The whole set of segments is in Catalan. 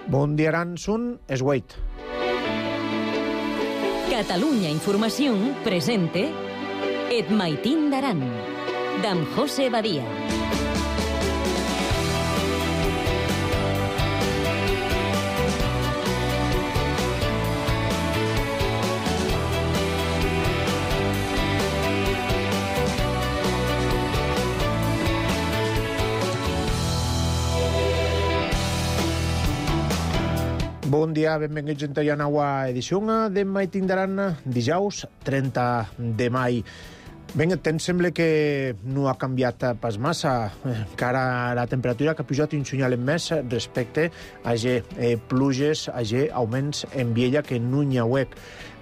Bon dia, Aransun, es Wait. Catalunya Informació presente Et Maitín d'Aran, d'en José Badia. Bon dia, benvinguts a la nova edició de Maitín d'Aran, dijous 30 de mai. Ben, el temps sembla que no ha canviat pas massa. Encara la temperatura que ha pujat un senyal més respecte a pluges, a augments en Viella que no n'hi hauec.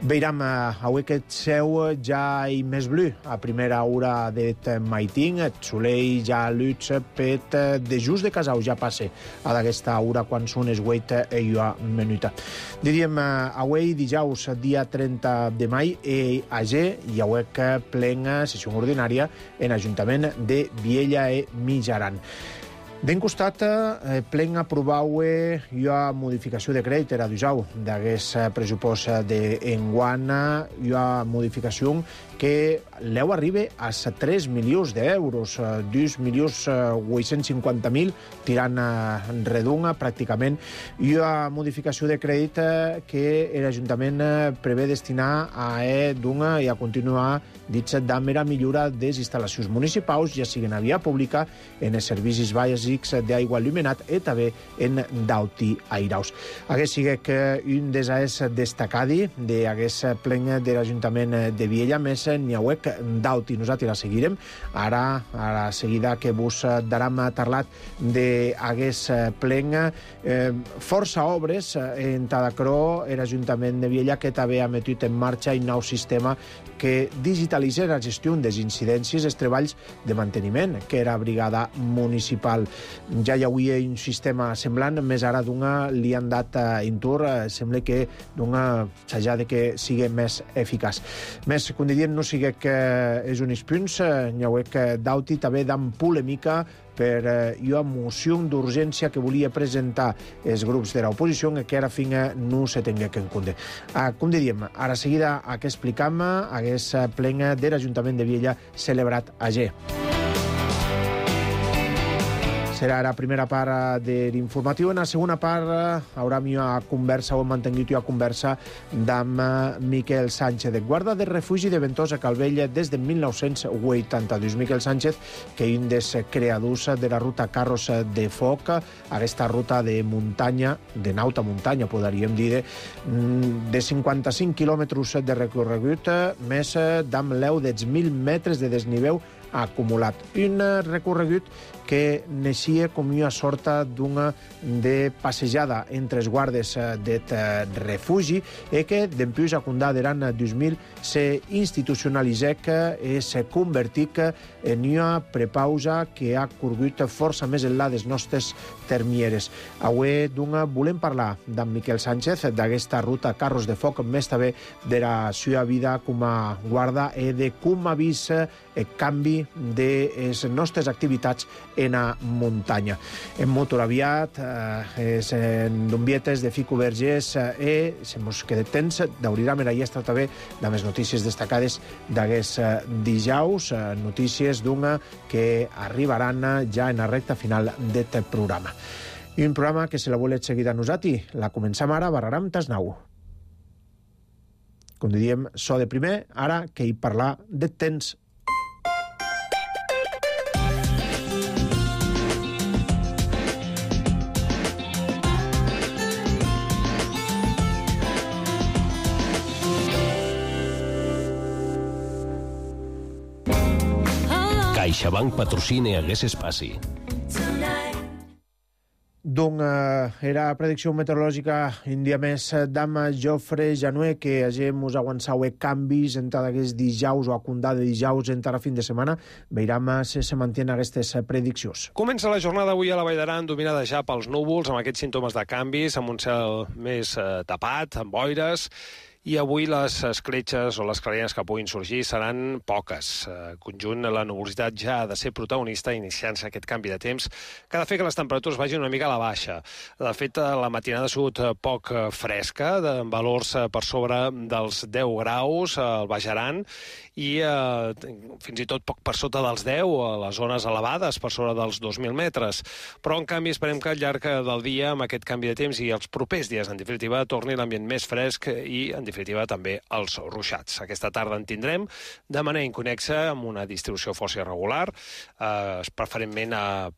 Veiram avui aquest ceu ja i més blu a primera hora d'et Maitín. El solell ja luig pet de just de casau ja passe a d'aquesta hora quan són es 8 i una minuta. Diríem avui dijous dia 30 de mai hi hauec plena sessió ordinària en l'Ajuntament de Viella i Mitjaran. D'en costat, plen aprovau una modificació de crèdit era d'usau d'aquest pressupost d'enguany, una modificació que l'eu arriba a 3 milions d'euros, 2.850.000 tirant redonda pràcticament, i una modificació de crèdit que l'Ajuntament prevé destinar a donar i a continuar dins de mera millora de les instal·lacions municipals, ja siguin a via pública, en els servicis bàsics d'aigua il·luminat i també en d'auti airaus. Aquest sigue que un dels destacadi d'aquest plen de l'Ajuntament de Viella, més n'hi hauec d'auti. Nosaltres la seguirem. Ara, a la seguida que vos daram parlat d'aquest plen, força obres en Tadacró, l'Ajuntament de Viella, que també ha metut en marxa un nou sistema que digitalitza la gestió des incidències i els treballs de manteniment, que era brigada municipal. Ja hi havia un sistema semblant, més ara li han dat intur, sembla que s'ha de que sigui més eficaç. Més, com diríem, no sigui que és uns punts, n'hi hauec d'auti també d'en polèmica per una moció d'urgència que volia presentar els grups de l'oposició que ara fins no se tingué que en compte. Com diríem, ara seguida que explicam aquest plen de l'Ajuntament de Viella celebrat ayer. Serà la primera part de l'informatiu. En la segona part haurem una conversa, o hem mantingut una conversa amb Miquel Sánchez, de guarda de refugi de Ventosa Calvell des de 1982. Miquel Sánchez, que és un dels creadors de la ruta Carros de Foc, aquesta ruta de muntanya, de nauta muntanya, podríem dir, de 55 quilòmetres de recorregut, més d'amb l'eu dels 1.000 metres de desnivell acumulat. Un recorregut que neixia com una sorta d'una de passejada entre els guardes d'et refugi i que, dempuix a condà de l'any 2000, se institucionalitzec i se convertic en una prepausa que ha corgut força més enllà des nostres termieres. Avui volem parlar d'en Miquel Sánchez, d'aquesta ruta Carros de Foc, més també de la seva vida com a guarda i de com ha vist el canvi de les nostres activitats en la muntanya. En motor aviat, en Dombietes de Fico Vergés i, si mos queda temps, d'obrirà mer allà també de les notícies destacades d'aquest dijous, notícies d'una que arribaran ja en la recta final d'aquest programa. I un programa que, si la voleu seguir a nosaltres, la començam ara, barraram tasnau. Com diríem, so de primer, ara que hi parlar de temps. CaixaBank patrocina aquest espai. Era predicció meteorològica un dia més d'am Jofre Janué, que mos aguançau canvis entre aquests dijous o a condà de dijous entre la fin de setmana. Veiram si se mantenen aquestes prediccions. Comença la jornada avui a la Vall d'Aran dominada ja pels núvols, amb aquests símptomes de canvis, amb un cel més tapat, amb boires, i avui les escletxes o les clarianes que puguin sorgir seran poques. Conjunt, la nubositat ja ha de ser protagonista iniciant-se aquest canvi de temps, que ha de fer que les temperatures vagin una mica a la baixa. De fet, la matinada ha sigut poc fresca, amb valors per sobre dels 10 graus al Baix Aran i fins i tot poc per sota dels 10 a les zones elevades, per sobre dels 2.000 metres. Però, en canvi, esperem que al llarg del dia, amb aquest canvi de temps i els propers dies, en definitiva, torni l'ambient més fresc i, en definitiva, també els ruixats. Aquesta tarda en tindrem de manera inconexa, amb una distribució força irregular, preferentment a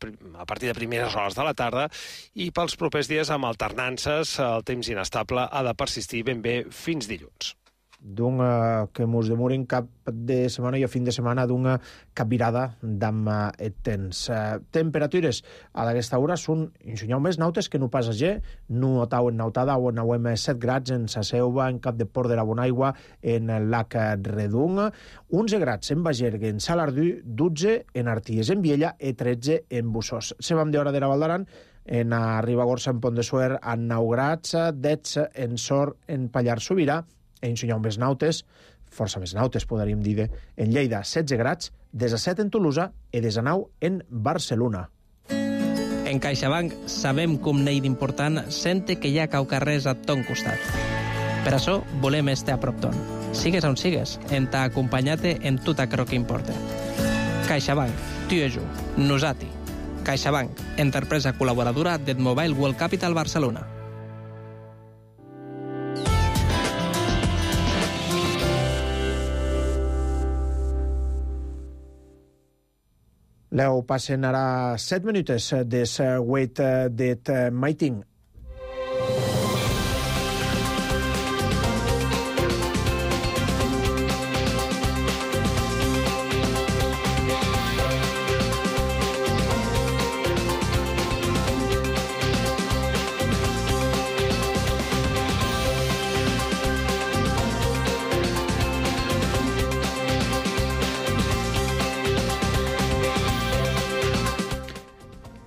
partir de primeres hores de la tarda, i pels propers dies, amb alternances, el temps inestable ha de persistir ben bé fins dilluns. Que mos demorin cap de setmana i a fin de setmana d'una capvirada d'amb el temps. Temperatures a aquesta hora són insunyau més nautes que no pas ayer. No otau en nautada o en auem 7 grads en Sa Selva, en Cap de Port de la Bonaigua, en el lac Redung, 11 grads en Bagergue, en Salardú, 12 en Arties, en Viella i 13 en Bussós. Se vam d'hora de la Val d'Aran, en Ribagorça, en Pont de Suert, a 9 grads, 10 en Sort, en Pallars Sobirà, en Sunyau més nautes, força més nautes, podríem dir, en Lleida, 16 grads, 17 en Tolosa i 19 en Barcelona. En CaixaBank sabem com n'hi d'important sente que hi ha caucarrers a ton costat. Per això volem estar a prop ton. Sigues on sigues, en t'ha acompanyat en tot aquello que importa. CaixaBank, tu i jo, nosati. CaixaBank, empresa col·laboradora del Mobile World Capital Barcelona. Leo, passen ara 7 minutes des Wait det Maiting.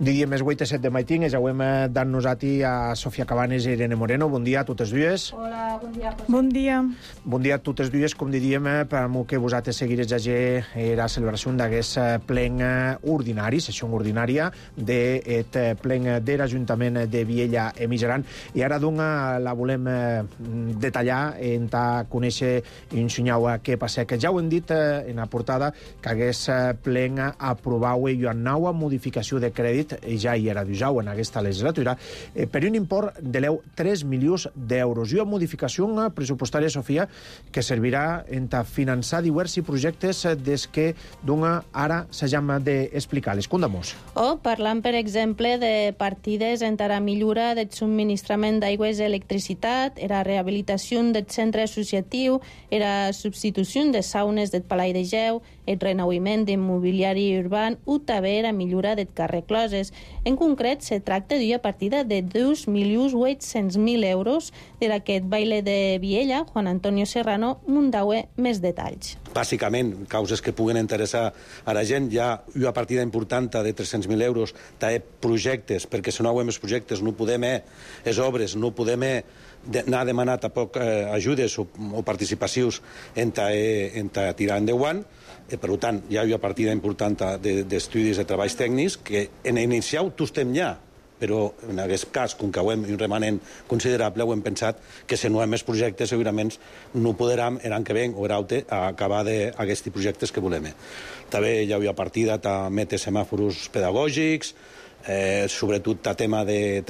Dia més 8 a 7 de Maiting, ja ho hem dan-nos-ati a Sofia Cabanes i Irene Moreno. Bon dia a totes dues. Hola, bon dia. Bon dia. Bon dia a totes dues, com diríem, per mo que vosaltres seguires ja era celebració d'aquest plen ordinari, sessió ordinària d'aquest plen de l'Ajuntament de Viella i Mitjaran. I ara, doncs, la volem detallar, a conèixer i ensenyar què passa. Que ja ho hem dit en la portada, que aquest plen aprovau una nova modificació de crèdit, ja hi era d'usau en aquesta legislatura, per un import de 3 milions d'euros. I una modificació pressupostària, Sofia, que servirà a finançar diversos projectes des que ara s'hagam d'explicar-les. Condamos. Parlant, per exemple, de partides en la millora del subministrament d'aigües i electricitat, era rehabilitació del centre associatiu, era substitució de saunes del Palai de Geu, el renauiment d'immobiliari urbà o també era millora del carrer Closes. En concret, se tracta d'una partida de 2.800.000 euros d'aquest baile de Viella. Juan Antonio Serrano mundaue més detalls. Bàsicament, causes que puguen interessar a la gent. Hi ha una partida important de 300.000 euros de projectes, perquè si no ho hem els projectes no podem les obres, no podem anar a demanar tampoc ajudes o participacions en tirar endavant. Per tant, hi ha una partida important d'estudis de treballs tècnics que en inicial tu estem ja, però en aquest cas, com que ho hem un remanent considerable, ho hem pensat que si no hem més projectes segurament no podrem l'any que ve o l'altre acabar d'aquests projectes que volem. També hi ha una partida també de semàfors pedagògics, sobretot de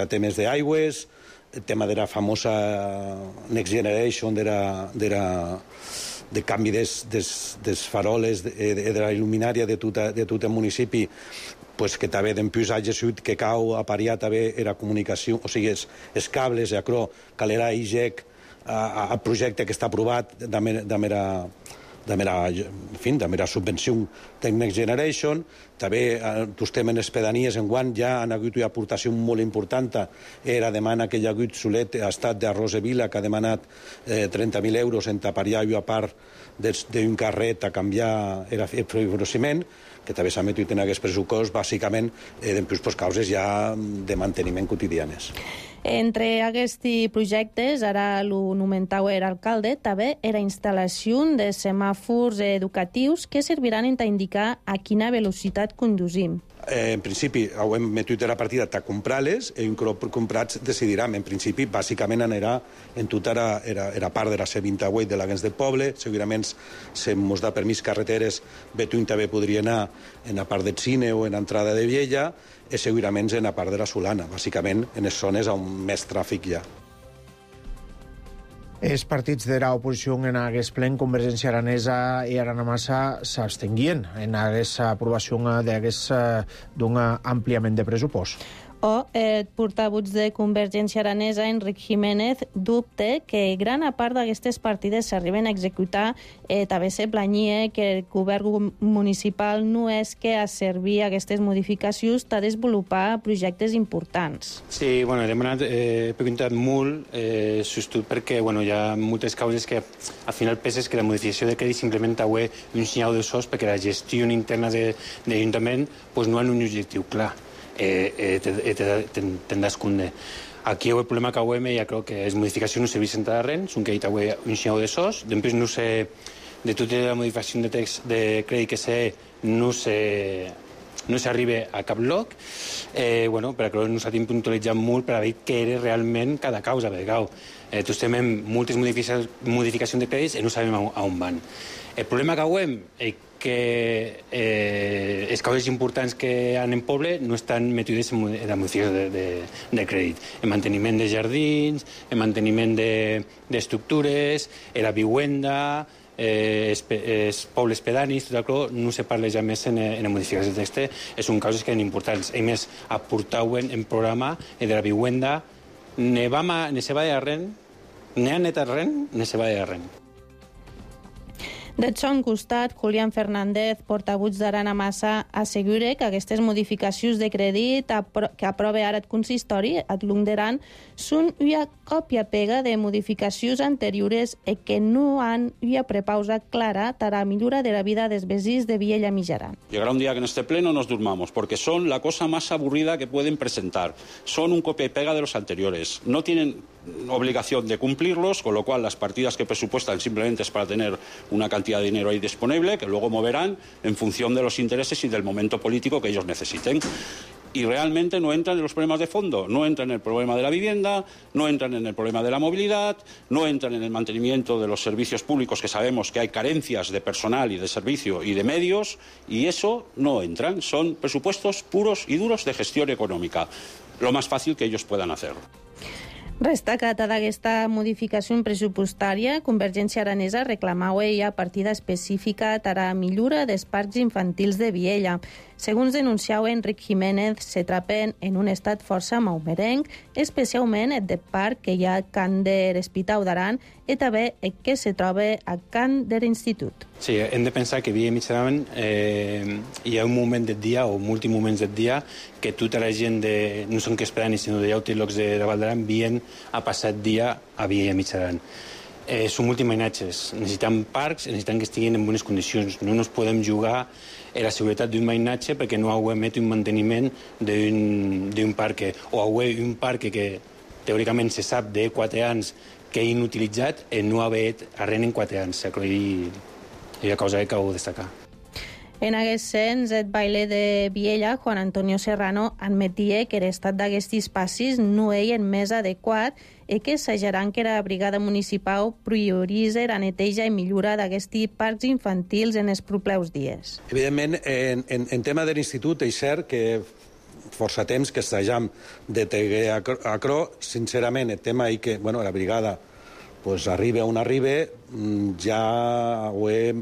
temes d'aigües, el tema de la famosa Next Generation, de canvi dels faroles, de la il·luminària de tot el municipi, que també d'empius hagi sigut que cau a pariar també la comunicació, o sigui, els cables, acrò, calera IGEC, el projecte que està aprovat de la subvenció de Next Generation. També estem en les pedanies enguany, ja han hagut una aportació molt important, era demana que hi ha hagut Solet, estat de Rosevila, que ha demanat 30.000 euros en tapariar una part d'un carret a canviar el fibrociment, que també s'ha metut en aquest pressupost, bàsicament, per causes ja de manteniment quotidianes. Entre aquests projectes, ara lo nomentau era alcalde, també era instal·lació de semàfors educatius que serviran a indicar a quina velocitat condusim. En principi, ho hem metut a la partida a comprar-les i un cop comprats decidiram. En principi, bàsicament anirà en tota era part de la C28 de l'Aguens del Poble. Segurament, si ens da permís carreteres, Betuny també podria anar en la part del Cine o en l'entrada de Viella, i segurament en la part de la Solana, bàsicament en les zones on més tràfic hi ha. Els partits de l'oposició en aquest plen, Convergència Aranesa i Arana Massa, s'abstenguien en aquesta aprovació d'un ampliament de pressupost. O el portavoz de Convergència Aranesa, Enric Jiménez, dubte que gran part d'aquestes partides s'arriben a executar. També se planyia que el govern municipal no és que a servir aquestes modificacions a desenvolupar projectes importants. Sí, bueno, he preguntat molt, sobretot perquè hi ha moltes causes que al final penses que la modificació de crèdit simplement ha un senyal de sos perquè la gestió interna de l'Ajuntament no ha un objectiu clar. Tendràs conde. Aquí el problema que hem, ja crec que les modificacions no serveixen a res, són que hi ha un senyal de sos, després no sé, de tota la modificació de text de crèdit que sé, no s'arriba a cap lloc, però nosaltres hem puntualitzat molt per a veure què era realment cada causa, perquè tots tenim moltes modificacions de crèdits i no sabem a on van. El problema que hem és que les causes importants que hi ha en poble no estan metides en la modificació de crèdit. El manteniment de jardins, el manteniment d'estructures, la vivienda, els pobles pedanis, tot això no se parla ja més en la modificació de text. Són causes que són importants. A més, aportauen en programa de la vivienda, ne se va de arren, ne han net arren, ne se va de arren. De son costat, Julián Fernández, portavoz d'Arana Massa, assegura que aquestes modificacions de crèdit que aprova ara el consistori a l'Underan són una còpia-pega de modificacions anteriores i que no han una prepausa clara per a la millora de la vida dels veïns de Viella Mijaran. Llegará un día que en este pleno nos durmamos, porque son la cosa más aburrida que pueden presentar. Son un copia y pega de los anteriores. No tienen obligación de cumplirlos, con lo cual las partidas que presupuestan simplemente es para tener una cantidad de dinero ahí disponible, que luego moverán en función de los intereses y del momento político que ellos necesiten. Y realmente no entran en los problemas de fondo, no entran en el problema de la vivienda, no entran en el problema de la movilidad, no entran en el mantenimiento de los servicios públicos, que sabemos que hay carencias de personal y de servicio y de medios, y eso no entran. Son presupuestos puros y duros de gestión económica, lo más fácil que ellos puedan hacer. Destacada d'aquesta modificació pressupostària, Convergència Aranesa reclamava ja partida específica per a la millora dels parcs infantils de Viella. Segons denunciava Enric Jiménez, se trapen en un estat força maumerenc, especialment el de parc que hi ha a Can de l'Hospital d'Aran i també el que se troba a Can de l'Institut. Sí, hem de pensar que Viella Mijaran hi ha un moment del dia, o molts moments del dia, que tota la gent, no són que esperant, sinó de altres llocs de Val d'Aran, vien a passar dia a Viella Mijaran. Són multimainatges. Necessitem parcs, necessitem que estiguin en bones condicions. No ens podem jugar a la seguretat d'un mainatge perquè no hauem un manteniment d'un parc. O hauem un parc que teòricament se sap de 4 anys que és inutilitzat i no haver arren en 4 anys. És una cosa que heu de destacar. En aquest sens, el baile de Viella, Juan Antonio Serrano, admetia que l'estat d'aquests espacis no és el més adequat i que assajaran que la brigada municipal prioritza la neteja i millora d'aquests parcs infantils en els propers dies. Evidentment, en tema de l'institut, és cert que força temps que assajam de teguer a cro. Sincerament, el tema és que la brigada arriba on arriba, ja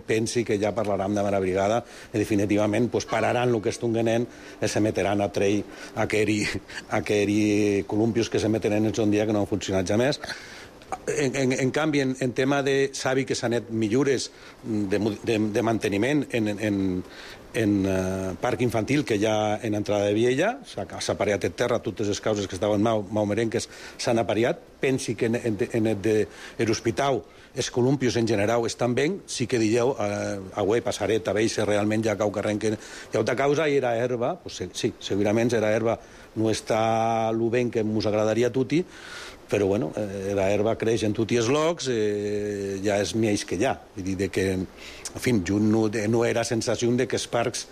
pensi que ja parlarem de la brigada i definitivament pararan el que estunguen i se meteran a trell aquells columpios que se meteren en un dia que no han funcionat ja més. En canvi, en tema de sabi que s'han anat millores de manteniment en parc infantil que hi ha en entrada de Viella, s'ha apareat en terra, totes les causes que estaven maumerenques s'han apareat. Pensi que en l'hospital els columpios en general estan bé, sí que dieu, avui passaré a veure si realment hi ha cau carrent que hi ha una causa i era herba, pues sí, segurament era herba, no està el ben que ens agradaria a tutti, però bueno, la herba creix en tots els llocs, ja és més que ja. Vull dir que, en fi, no era sensació de que els parcs,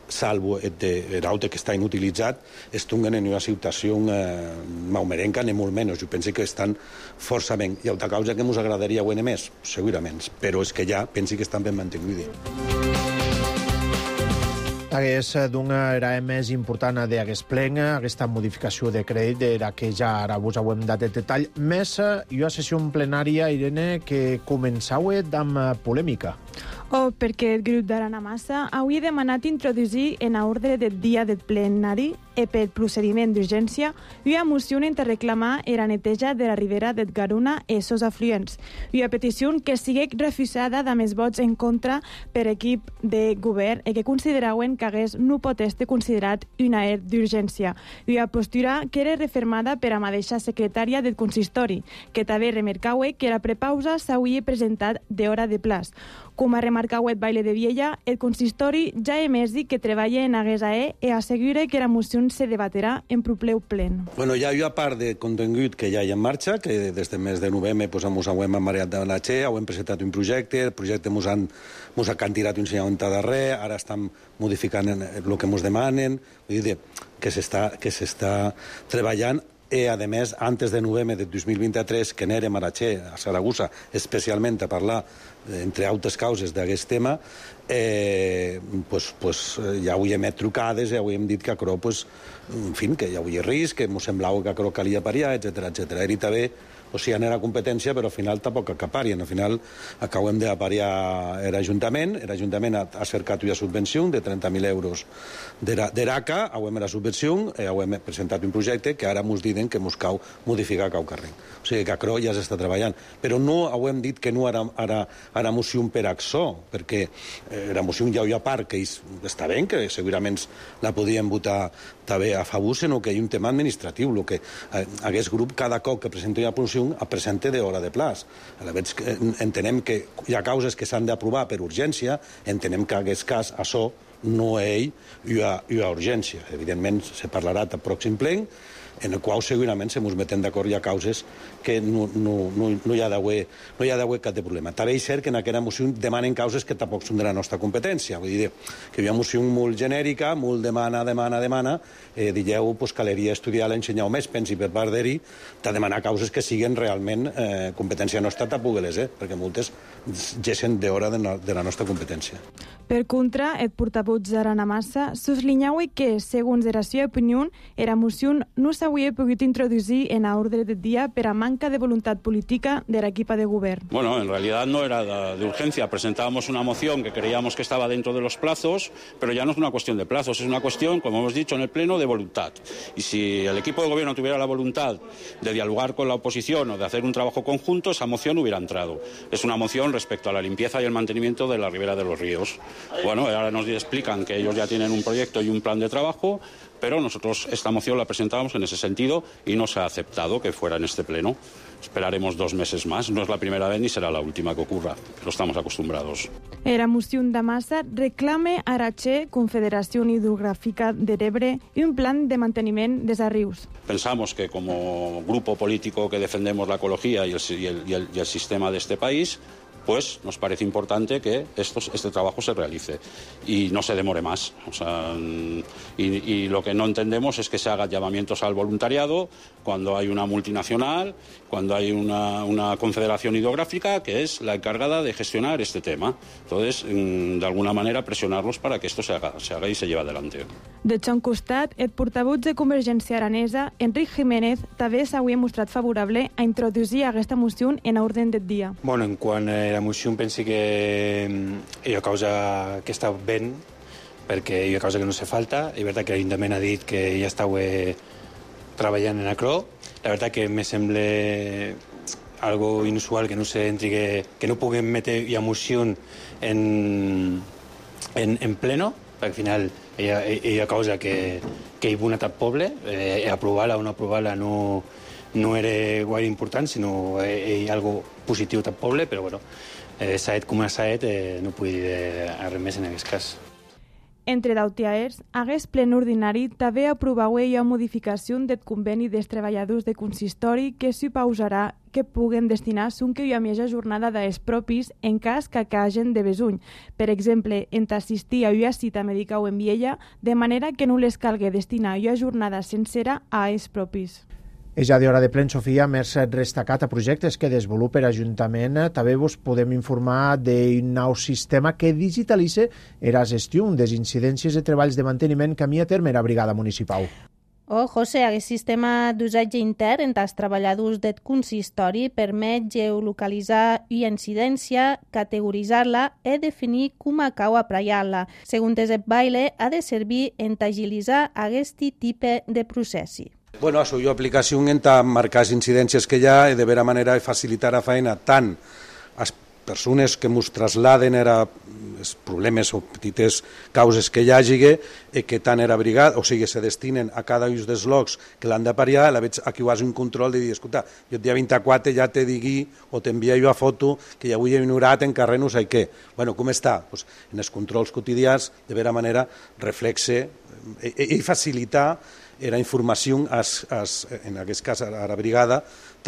salvo l'aute que està inutilitzat, estungen en una situació maumerenca, ni molt menys. Jo penso que estan força ben. Hi ha una causa que ens agradaria guanyar més, segurament, però és que ja penso que estan ben mantinguts. Hagués d'una era més important d'aquest plen, aquesta modificació de crèdit era que ja ara vos hem dat el detall. Més, hi ha sessió plenària, Irene, que començau amb polèmica. Perquè el grup d'Arana Massa avui ha demanat introduir en ordre del dia del plenari per procediment d'urgència una moció per reclamar la neteja de la ribera del Garona i els seus afluents. Una petició que sigui refusada amb els vots en contra per equip de govern i que consideraven que hagués no pot ser considerat una d'urgència. Una postura que era refermada per la mateixa secretària del consistori, que també remarcau que la prepausa s'hauria presentat d'hora de plaç. Com a remarcau el baile de Viella, el consistori ja ha emès que treballa en aguesa i assegura que la moció se debaterà en propleu plen. Bueno, hi ha una part de contingut que ja hi ha en marxa, que des del mes de novembre ens hem amareat de la Che, hem presentat un projecte, el projecte ens han tirat un ensenyament darrer, ara estan modificant el que ens demanen, vull dir que s'està treballant. I, a més, antes de novembre de 2023, que anèrem a la Che, a Saragossa, especialment a parlar, entre altres causes, d'aquest tema, ja avui hem trucades i avui hem dit que a Cro, en fi, que hi havia risc, que ens semblava que a Cro calia pariar, etc. Era també, o sigui, era competència, però al final tampoc acaparien. Al final acabem de pariar l'Ajuntament ha cercat una subvenció de 30.000 euros d'ERACA, avui la subvenció, hem presentat un projecte que ara ens diuen que ens cal modificar cau carrer. O sigui que a Cro ja s'està treballant. Però no hem dit que no ara moció per AXO, perquè la moció ja hi ha part que està bé, que segurament la podíem votar també a favor, sinó que hi ha un tema administratiu. El que aquest grup, cada cop que presenta una moció, presenta d'hora de plaç. Entenem que hi ha causes que s'han d'aprovar per urgència, entenem que en aquest cas això no hi ha urgència. Evidentment, se parlarà al pròxim plen, en el qual segurament se ens metem d'acord, hi ha causes que no hi ha d'haver cap de problema. També és cert que en aquesta moció demanen causes que tampoc són de la nostra competència. Vull dir que hi ha una moció molt genèrica, molt demana, digueu, caleria estudiar l'ensenyar més, pensi per part d'ell, de demanar causes que siguin realment competència nostra, tampoc-les, perquè moltes gessen d'hora de la nostra competència. Per contra, el portavoz d'Arana Massa sublinhava que, segons la seva opinió, la moció no s'hauria pogut introduir en l'ordre del dia per a manca de voluntat política de l'equip de govern. Bueno, en realidad no era de urgencia. Presentábamos una moción que creíamos que estaba dentro de los plazos, pero ya no es una cuestión de plazos, es una cuestión, como hemos dicho en el Pleno, de voluntad. Y si el equipo de gobierno tuviera la voluntad de dialogar con la oposición o de hacer un trabajo conjunto, esa moción hubiera entrado. Es una moción respecto a la limpieza y el mantenimiento de la ribera de los ríos. Bueno, ahora nos explican que ellos ya tienen un proyecto y un plan de trabajo, pero nosotros esta moción la presentábamos en ese sentido y no se ha aceptado que fuera en este pleno. Esperaremos 2 meses más. No es la primera vez ni será la última que ocurra, pero estamos acostumbrados. La moció de Massa reclama a la Che, Confederació Hidrogràfica de l'Ebre, un plan de manteniment dels rius. Pensamos que como grupo político que defendemos la ecología y el sistema de este país, pues nos parece importante que este trabajo se realice y no se demore más. O sea, y lo que no entendemos es que se hagan llamamientos al voluntariado cuando hay una multinacional, cuando hay una confederación hidrográfica que es la encargada de gestionar este tema. Entonces, de alguna manera, presionarlos para que esto se haga y se lleve adelante. De son costat, el portavoz de Convergència Aranesa, Enric Jiménez, també s'hauria mostrat favorable a introduir aquesta moció en l'ordre del dia. Bueno, en quant a la moció penso que hi ha causa que està ben, perquè hi ha causa que no se falta. És veritat que l'Ajuntament ha dit que ja estàu treballant en ACRO. La veritat que me sembla algo inusual, que no que no puguem meter emoció en pleno, perquè al final hi ha cosa que hi ha una tal poble, aprovar-la o no aprovar-la no era gaire important, sinó hi ha algo positiu tal poble, però bueno, s'ha com a s'ha no puc dir res més en aquest cas. Entre d'autiaers, hagués plen ordinari també aprovau a modificació del conveni dels treballadors de consistori que supausarà que puguen destinar un que hi ha més jornada dels propis en cas que hagin de besuny. Per exemple, en assistir a una cita mèdica o en viella, de manera que no les calgui destinar una jornada sencera a els propis. És ja d'hora de plen, Sofia, més destacat a projectes que desenvolupa l'Ajuntament. També vos podem informar d'un nou sistema que digitalitza la gestió des incidències de treballs de manteniment que a terme la brigada municipal. José, aquest sistema d'usatge intern entre els treballadors del consistori permet geolocalitzar una incidència, categoritzar-la i definir com cau apraiar-la. Segons el baile, ha de servir en agilitzar aquest tipus de processi. Bueno, això, jo aplicació en marcar les incidències que hi ha i de vera manera de facilitar la feina tant a les persones que ens trasladen els problemes o petites causes que hi hagi i que tant era brigada, o sigui, se destinen a cada un dels locs que l'han de pariar, aquí ho has un control de dir, escolta, jo el dia 24 ja te digui o t'envia jo a foto que ja avui he ignorat en carrer no sé què. Bueno, com està? Pues, en els controls quotidians, de vera manera, reflexe i facilitar era informació, en aquest cas a la brigada,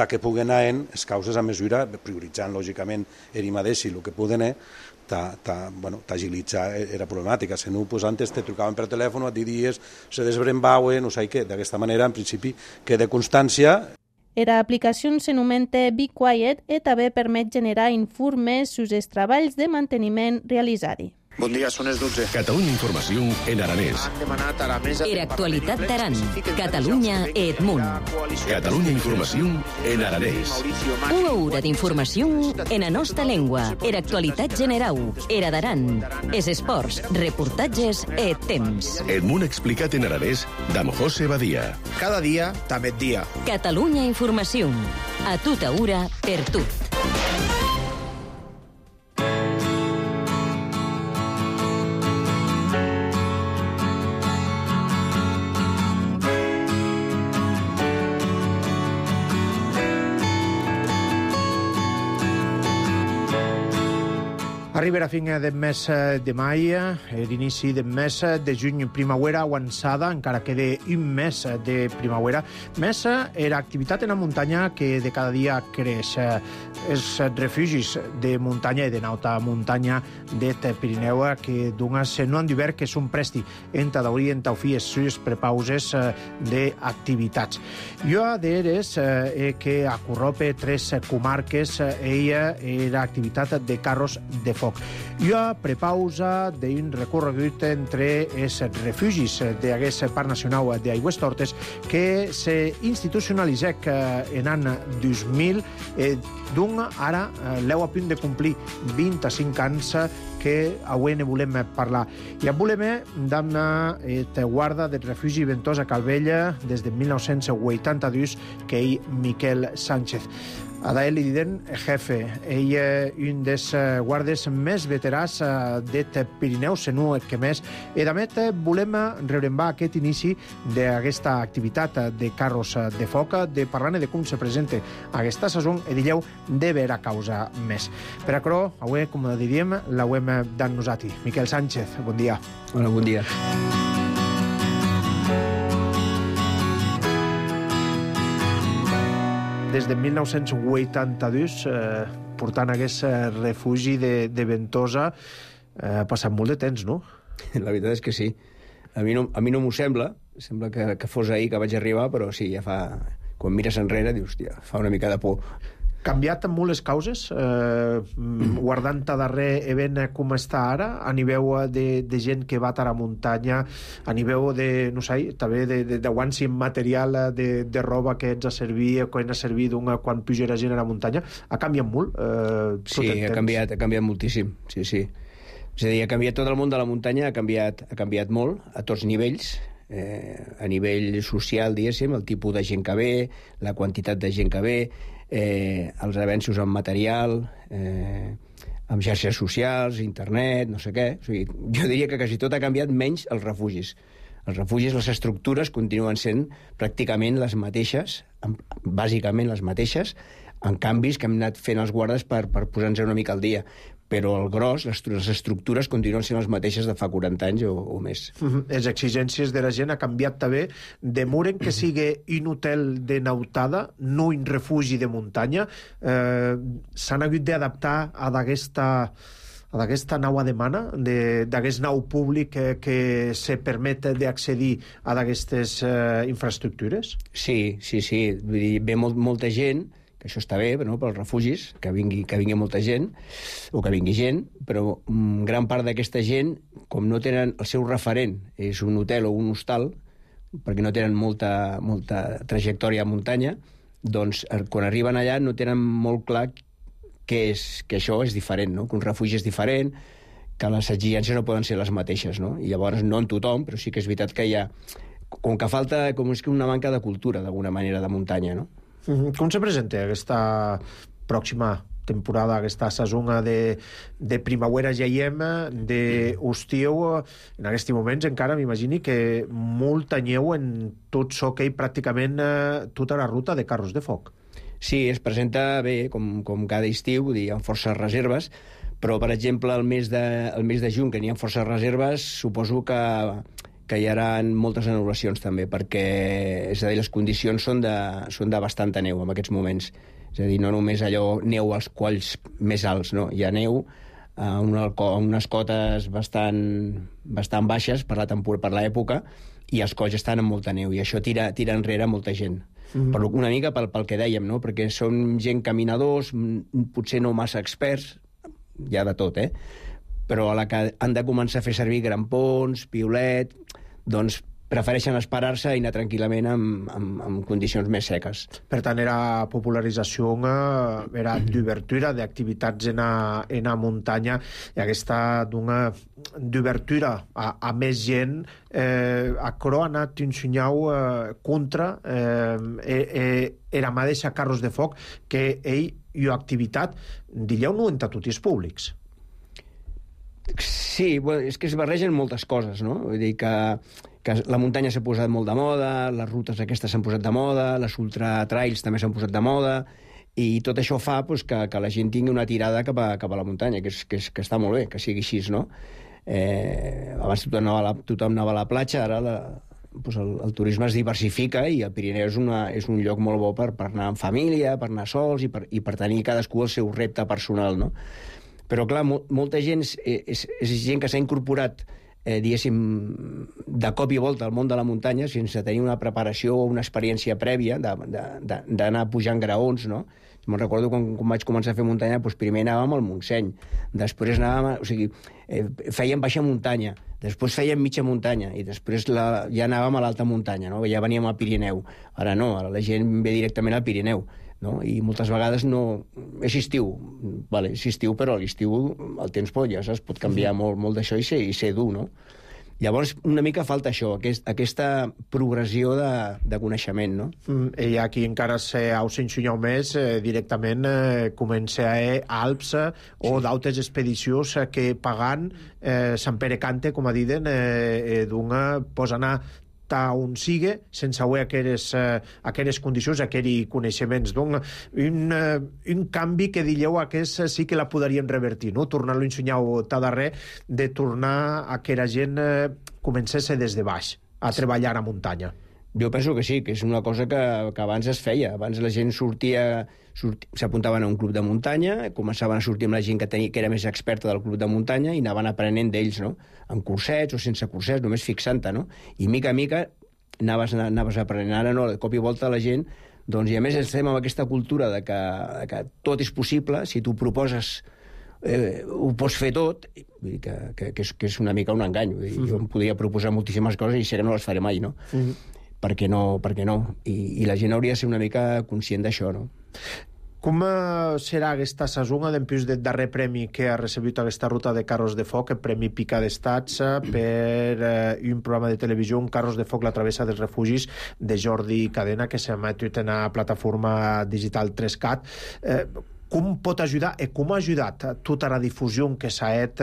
que puguen anar en les causes a mesura, prioritzant, lògicament, ell mateix i el que puguen t'agilitzar la problemàtica. Si no, antes te trucaven per telèfon, a dir dies, se desbrembauen, no sé què. D'aquesta manera, en principi, queda constància. La aplicació s'anomena Be Quiet i també permet generar informes sobre els treballs de manteniment realitzats. Bon dia, són les 12. Catalunya Informació en aranès. Era actualitat d'Aran. Catalunya Edmunt. Catalunya Informació en aranès. Una hora d'informació en la nostra llengua. Era actualitat general. Era d'Aran. Es esports, reportatges e temps. Edmunt explicat en aranès d'Am José Badia. Cada dia, també dia. Catalunya Informació. A tota hora, per tot. Arriba la fin del mes de mai, l'inici del mes de juny, primavera avançada, encara queda un mes de primavera. Més era activitat en la muntanya que de cada dia creix. Els refugis de muntanya i de alta muntanya del Pirineu que d'unes no han d'hivern que són presti en Tadaurí, en Taufí, les sues prepauses d'activitats. Jo d'eres que acorrope 3 comarques ella era activitat de carros de foc. Jo prepausa d'un recorregut entre els refugis d'aquest Parc Nacional d'Aigües Tortes que s'institucionalitzec en l'any 2000 d'un ara l'heu a punt de complir 25 anys que avui ne volem parlar. I volem d'una guarda del refugi Ventosa Calvella des de 1982 que és Miquel Sánchez. Adael li diden jefe. Ell és un dels guardes més veterans del Pirineu, se no que més. I a més volem rebrembar aquest inici d'aquesta activitat de carros de foc, de parlar de com se presenta aquesta saison i dilleu de vera causa més. Per això, avui, com diríem, l'hem d'en nosaltres. Miquel Sánchez, bon dia. Hola, bon dia. Des de 1982, portant aquest refugi de Ventosa, ha passat molt de temps, no? La veritat és que sí. A mi no m'ho sembla que fos ahir que vaig arribar, però sí, ja fa... Quan mires enrere, dius, hòstia, fa una mica de por. Canviat molt les causes, guardant a darrer event com està ara, a nivell de gent que va a la muntanya, a nivell de, no sé, també de guants i material de roba que ens ha servit, que ens ha servit quan puja la gent a la muntanya, ha canviat molt? Sí, ha canviat moltíssim, sí. És a dir, ha canviat tot el món de la muntanya, ha canviat molt, a tots nivells, a nivell social, diguéssim, el tipus de gent que ve, la quantitat de gent que ve, els avenços en material, amb xarxes socials, internet, no sé què. O sigui, jo diria que quasi tot ha canviat, menys els refugis. Els refugis, les estructures, continuen sent pràcticament les mateixes, bàsicament les mateixes, en canvis que hem anat fent els guardes per posar-nos una mica al dia. Però el gros, les estructures continuen sent les mateixes de fa 40 anys o més. Les exigències de la gent ha canviat també. Demoren que sigui un hotel de nautada, no un refugi de muntanya. S'han hagut d'adaptar a d'aquesta nova demanda, d'aquest nou públic que se permet d'accedir a d'aquestes infraestructures? Sí. Vull dir, ve molta gent, que això està bé, no?, pels refugis, que vingui molta gent, o que vingui gent, però gran part d'aquesta gent, com no tenen el seu referent, és un hotel o un hostal, perquè no tenen molta trajectòria a muntanya, doncs quan arriben allà no tenen molt clar que això és diferent, no?, que un refugi és diferent, que les exigències no poden ser les mateixes, no? I llavors no en tothom, però sí que és veritat que hi ha... Com que falta, com és que una manca de cultura, d'alguna manera, de muntanya, no? Com se presenta aquesta pròxima temporada, aquesta saison de primavera ja hi hem, d'estiu? En aquests moments encara m'imagini que molta neu en tot això que hi pràcticament tota la ruta de carros de foc. Sí, es presenta bé, com cada estiu, vull dir, hi ha forces reserves, però, per exemple, el mes de juny, que n'hi ha forces reserves, suposo que hi haurà moltes anul·lacions també, perquè, és a dir, les condicions són de bastanta neu en aquests moments. És a dir, no només allò neu als colls més alts, no? Hi ha neu a unes cotes bastant baixes per l'època, i els colls estan amb molta neu, i això tira enrere molta gent. Una mica pel que dèiem, no?, perquè són gent caminadors, potser no massa experts, hi ha de tot, però a la que han de començar a fer servir grampons, piolet, doncs prefereixen esperar-se i anar tranquil·lament en condicions més seques. Per tant, era popularització, era d'obertura d'activitats en la muntanya, i aquesta d'obertura a més gent, aquerò ha anat ensenyau contra era mateixa carros de foc, que ell i activitat, dilleu, no en tots els públics. Sí, és que es barregen moltes coses, no? Vull dir que la muntanya s'ha posat molt de moda, les rutes aquestes s'han posat de moda, les ultratrails també s'han posat de moda, i tot això fa que la gent tingui una tirada cap a la muntanya, que està molt bé, que sigui així, no? Abans tothom anava a la platja, ara el turisme es diversifica, i el Pirineu és un lloc molt bo per anar en família, per anar sols, i per tenir cadascú el seu repte personal, no? Però, clar, molta gent és gent que s'ha incorporat, diguéssim, de cop i volta al món de la muntanya, sense tenir una preparació o una experiència prèvia d'anar pujant graons, no? Me'n recordo quan vaig començar a fer muntanya, doncs primer anàvem al Montseny, després anàvem, o sigui, fèiem baixa muntanya, després fèiem mitja muntanya, i després ja anàvem a l'alta muntanya, no? Ja veníem al Pirineu. Ara no, ara la gent ve directament al Pirineu, no? I moltes vegades no... És estiu, vale, és estiu, però a l'estiu el temps pot canviar molt d'això i ser dur, no? Llavors, una mica falta això, aquesta progressió de coneixement, no? I aquí encara s'ensenyeu més, directament comença a Alps o d'altres expedicions que pagant Sant Pere Cante, com a diden, posa anar on sigue, sense haver aquelles condicions, aquells coneixements. Doncs un canvi que dieu aquest sí que la podríem revertir, no? Tornar-lo a ensenyar tot darrer, de tornar a que la gent comencés des de baix a treballar a muntanya. Jo penso que sí, que és una cosa que abans es feia. Abans la gent s'apuntaven a un club de muntanya, començaven a sortir amb la gent que era més experta del club de muntanya, i anaven aprenent d'ells, no? Amb cursets o sense cursets, només fixant-te, no? I mica a mica anaves aprenent. Ara no, de cop i volta la gent... Doncs, i a més estem amb aquesta cultura de que tot és possible, si tu proposes ho pots fer tot, vull dir que és una mica un engany. Vull dir, jo em podria proposar moltíssimes coses i sé que no les faré mai, no? Per què no? I la gent hauria de ser una mica conscient d'això, no? Com serà aquesta saison, d'empús del darrer premi que ha recebut aquesta ruta de carros de foc, el Premi Pica d'Estats, per un programa de televisió, un Carros de foc, la travessa dels refugis, de Jordi Cadena, que s'emet en la plataforma digital 3CAT. Com pot ajudar i com ha ajudat tota la difusió que s'ha fet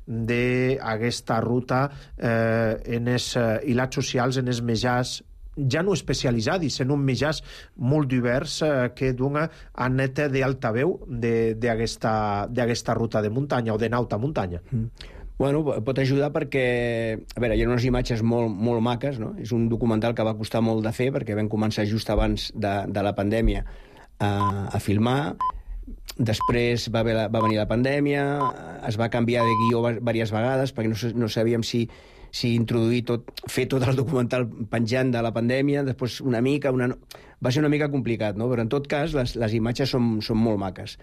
d'aquesta ruta en els hilats socials, en els mitjans ja no especialitzats, en un mitjans molt divers que dona a net d'altaveu d'aquesta ruta de muntanya o de nauta muntanya. Bueno, pot ajudar perquè, a veure, hi ha unes imatges molt maques, no? És un documental que va costar molt de fer perquè vam començar just abans de la pandèmia a filmar. Després va venir la pandèmia, es va canviar de guió diverses vegades perquè no sabíem si introduir fer tot el documental penjant de la pandèmia, després una mica... Va ser una mica complicat, no? Però en tot cas les imatges són molt maques.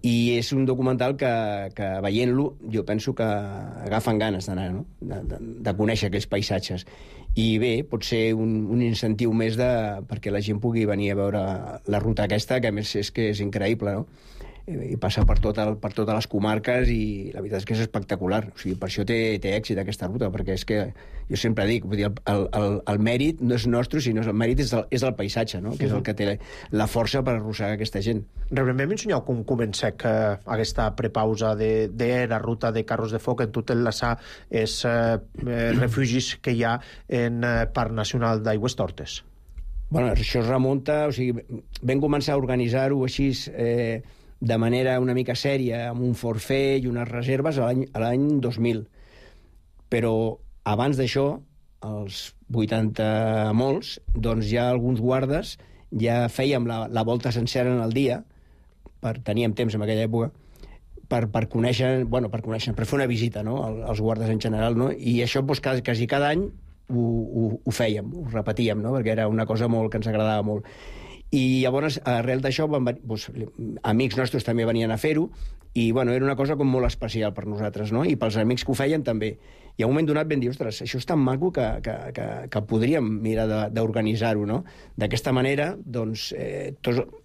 I és un documental que veient-lo jo penso que agafen ganes d'anar, no? De conèixer aquells paisatges. I bé, pot ser un incentiu més perquè la gent pugui venir a veure la ruta aquesta, que a més és que és increïble, no? I passa per totes les comarques i la veritat és que és espectacular. O sigui, per això té èxit aquesta ruta, perquè és que jo sempre dic, vull dir, el mèrit no és nostre, sinó el mèrit és el paisatge, no? Que és el que té la força per arrossegar aquesta gent. Realment m'ensenyeu com comença aquesta prepausa de la ruta de carros de foc en tot enllaçar els refugis que hi ha en Parc Nacional d'Aigües Tortes. Bueno, això es remunta, o sigui, vam començar a organitzar-ho així de manera una mica sèria, amb un forfait i unes reserves a l'any 2000. Però abans d'això, als 80 molts, doncs ja alguns guardes ja fèiem la volta sencera en el dia, teníem temps en aquella època, per conèixer, per fer una visita, no?, als guardes en general, no? I això doncs, quasi cada any ho fèiem, ho repetíem, no?, perquè era una cosa que ens agradava molt. I llavors, arrel d'això, amics nostres també venien a fer-ho, i era una cosa molt especial per nosaltres, no? I pels amics que ho feien també. I a un moment donat vam dir, ostres, això és tan maco que podríem mirar d'organitzar-ho, no? D'aquesta manera, doncs,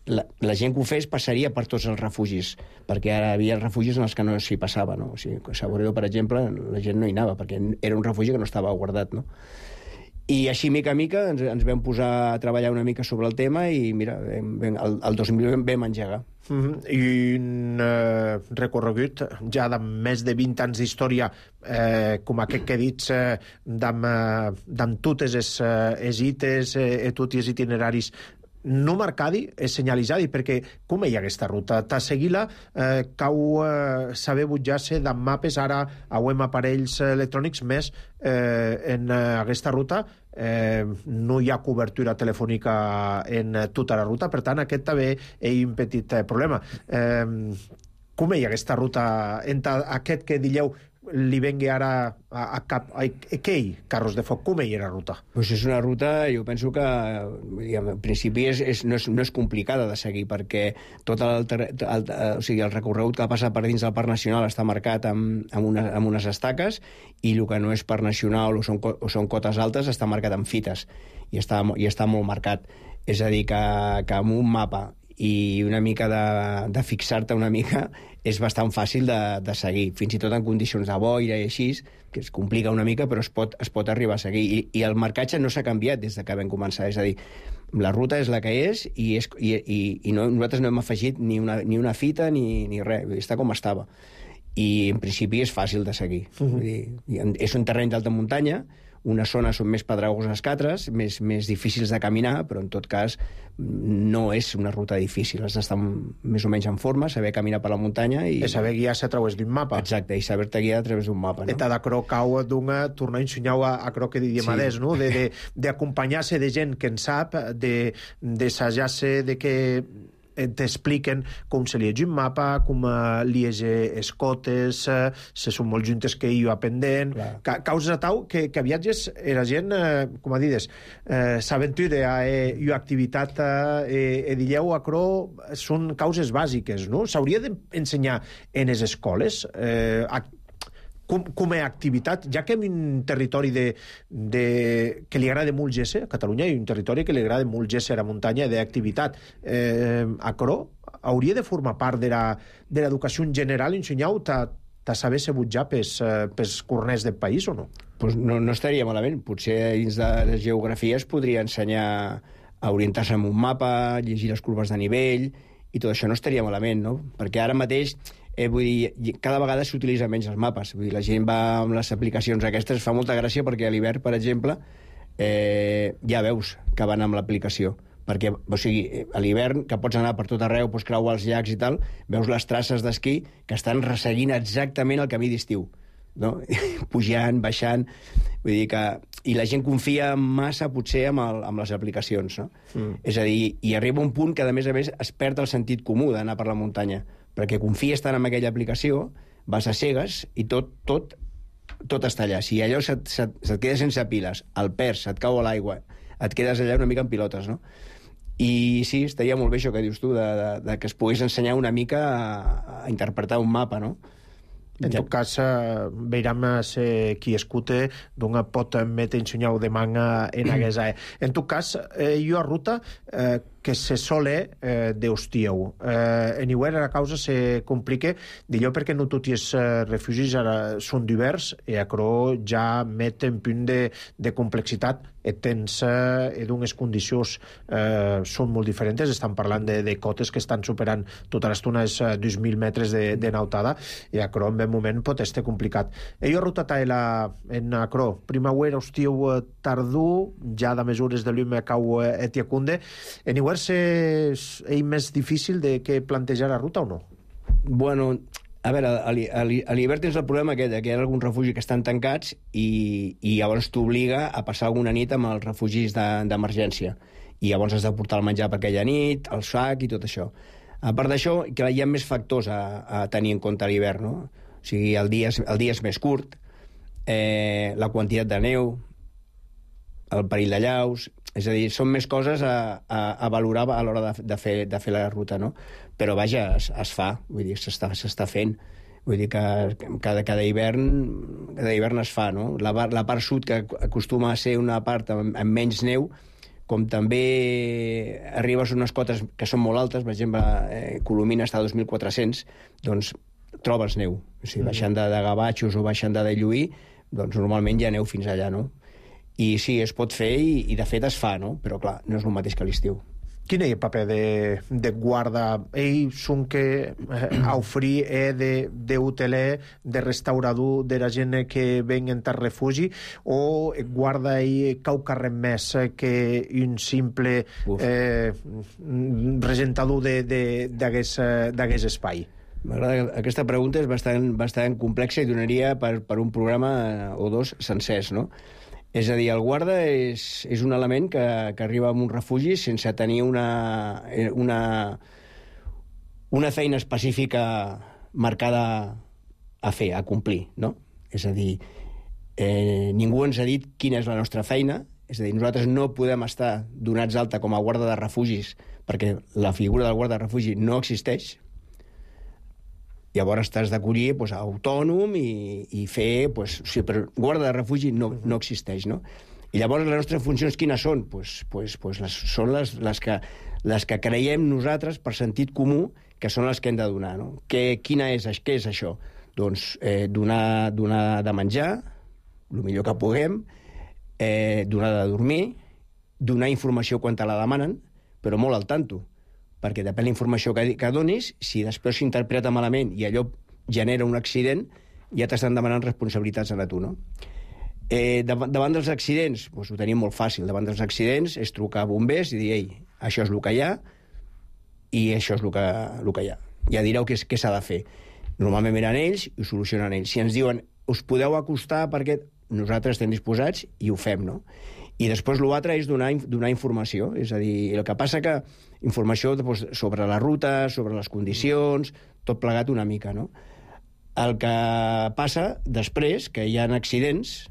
la gent que ho fes passaria per tots els refugis, perquè ara hi havia refugis en els que no s'hi passava, no? O sigui, a Saboredo, per exemple, la gent no hi anava, perquè era un refugi que no estava guardat, no? I així, mica a mica, ens vam posar a treballar una mica sobre el tema i, mira, el 2000 vam engegar. I un recorregut ja de més de 20 anys d'història, com aquest que dits, d'amb totes les ites i tots els itineraris no marcadi, senyalitzadi, perquè com hi ha aquesta ruta? Ta seguir-la cau saber butjar-se d'en mapes, ara auem aparells electrònics, més en aquesta ruta no hi ha cobertura telefònica en tota la ruta, per tant aquest també és un petit problema. Com hi ha aquesta ruta? Aquest que dieu li vengui ara a cap aquell Carros de Foc, com hi era la ruta? Pues és una ruta, jo penso que en principi no és complicada de seguir, perquè tot el recorregut que passa per dins del Parc Nacional està marcat amb unes estaques, i el que no és Parc Nacional o són cotes altes està marcat amb fites, i està molt marcat. És a dir, que amb un mapa i una mica de fixar-te una mica és bastant fàcil de seguir, fins i tot en condicions de boira i així, que es complica una mica, però es pot arribar a seguir. I el marcatge no s'ha canviat des que vam començar, és a dir, la ruta és la que és i nosaltres no hem afegit ni una fita ni res, està com estava. I en principi és fàcil de seguir. Vull dir, és un terreny d'alta muntanya, unes zones són més pedregoses que altres, més difícils de caminar, però en tot cas no és una ruta difícil. Has d'estar més o menys en forma, saber caminar per la muntanya i saber guiar-se a través d'un mapa. Exacte, i saber-te guiar a través d'un mapa, no? Eta d'acro cau tornar a ensenyar a que diríem adés, no? D'acompanyar-se de gent que en sap, d'assajar-se de que t'expliquen com se liegi un mapa, com liege escotes, se són molt juntes que hi ha pendent. Causes a tau que viatges era gent, com a dides, s'aventura i activitat dilleu acro són causes bàsiques, no? S'hauria d'ensenyar en les escoles com a activitat, ja que en un territori que li agrada molt géser, a Catalunya hi ha un territori que li agrada molt géser a muntanya d'activitat. Acro hauria de formar part de l'educació en general, ensenyar-ho a saber ser butjar pels corners del país o no? Pues no estaria malament. Potser dins de les geografies podria ensenyar a orientar-se amb un mapa, llegir les curves de nivell, i tot això no estaria malament, no? Perquè ara mateix, vull dir, cada vegada s'utilitzen menys els mapes. Vull dir, la gent va amb les aplicacions aquestes, fa molta gràcia perquè a l'hivern, per exemple, ja veus que van amb l'aplicació. Perquè, o sigui, a l'hivern, que pots anar per tot arreu, pots creuar els llacs i tal, veus les traces d'esquí que estan resseguint exactament el camí d'estiu, no? Pujant, baixant, vull dir que... I la gent confia massa, potser, amb les aplicacions, no? És a dir, i arriba un punt que, a més, es perd el sentit comú d'anar per la muntanya, perquè confies tant en aquella aplicació, vas a cegues i tot està allà. Si allò se't queda sense piles, el perds, se't cau a l'aigua, et quedes allà una mica en pilotes, no? I sí, estaria molt bé això que dius tu, de que es pogués ensenyar una mica a interpretar un mapa, no? En tot cas, veurem qui escute d'on pot metre ensenyar de manga en aquesta. En tot cas, jo a ruta que se sole d'hostieu. En hivern la causa se complica, d'allò perquè no tots els refugis ara són divers i acrò ja met en punt de complexitat et tens d'unes condicions són molt diferents. Estan parlant de cotes que estan superant tota l'estona els 2.000 metres de nautada i acrò en un moment pot estar complicat. Jo rotat en acrò primavera hostiu tardú ja de mesures de l'hume cau etiacunde. En hivern és més difícil de que plantejar la ruta o no? Bueno, a veure, a l'hivern tens el problema aquest, que hi ha alguns refugis que estan tancats i llavors t'obliga a passar alguna nit amb els refugis d'emergència. I llavors has de portar el menjar per aquella nit, el sac i tot això. A part d'això, hi ha més factors a tenir en compte a l'hivern, no? O sigui, el dia és més curt, la quantitat de neu, el perill de llaus... És a dir, són més coses a valorar a l'hora de fer la ruta, no? Però, vaja, es fa, vull dir, s'està fent. Vull dir que cada hivern es fa, no? La part sud, que acostuma a ser una part amb menys neu, com també arribes a unes cotes que són molt altes, per exemple, Colomina està a 2.400, doncs trobes neu. O sigui, baixant de Gavatxos o baixant de Lluí, doncs normalment hi ha neu fins allà, no? I sí, es pot fer i de fet es fa, no? Però clar, no és el mateix que l'estiu. Quin és el paper de guarda? Ells són que oferir d'hoteler, de restaurador, de la gent que ven en tal refugi, o guarda cau carrer més que un simple presentador d'aquest espai? M'agrada, aquesta pregunta és bastant complexa i donaria per un programa o dos sencers, no? És a dir, el guarda és un element que arriba a un refugi sense tenir una feina específica marcada a fer, a complir, no? És a dir, ningú ens ha dit quina és la nostra feina, és a dir, nosaltres no podem estar donats alta com a guarda de refugis perquè la figura del guarda de refugi no existeix. Llavors t'has d'acollir autònom i fer... però guarda de refugi no existeix, no? I llavors les nostres funcions quines són? Són les que creiem nosaltres per sentit comú que són les que hem de donar, no? Què és això? Doncs donar de menjar, el millor que puguem, donar de dormir, donar informació quan te la demanen, però molt al tanto, perquè depèn la informació que donis, si després s'interpreta malament i allò genera un accident, ja t'estan demanant responsabilitats a tu, no? Davant dels accidents, ho tenim molt fàcil. Davant dels accidents és trucar a bombers i dir, ei, això és el que hi ha i això és el que hi ha. Ja direu què s'ha de fer. Normalment venen ells i ho solucionen ells. Si ens diuen, us podeu acostar perquè nosaltres estem disposats i ho fem, no? I després l'altre és donar informació. És a dir, el que passa que informació sobre la ruta, sobre les condicions, tot plegat una mica, no? El que passa després, que hi ha accidents,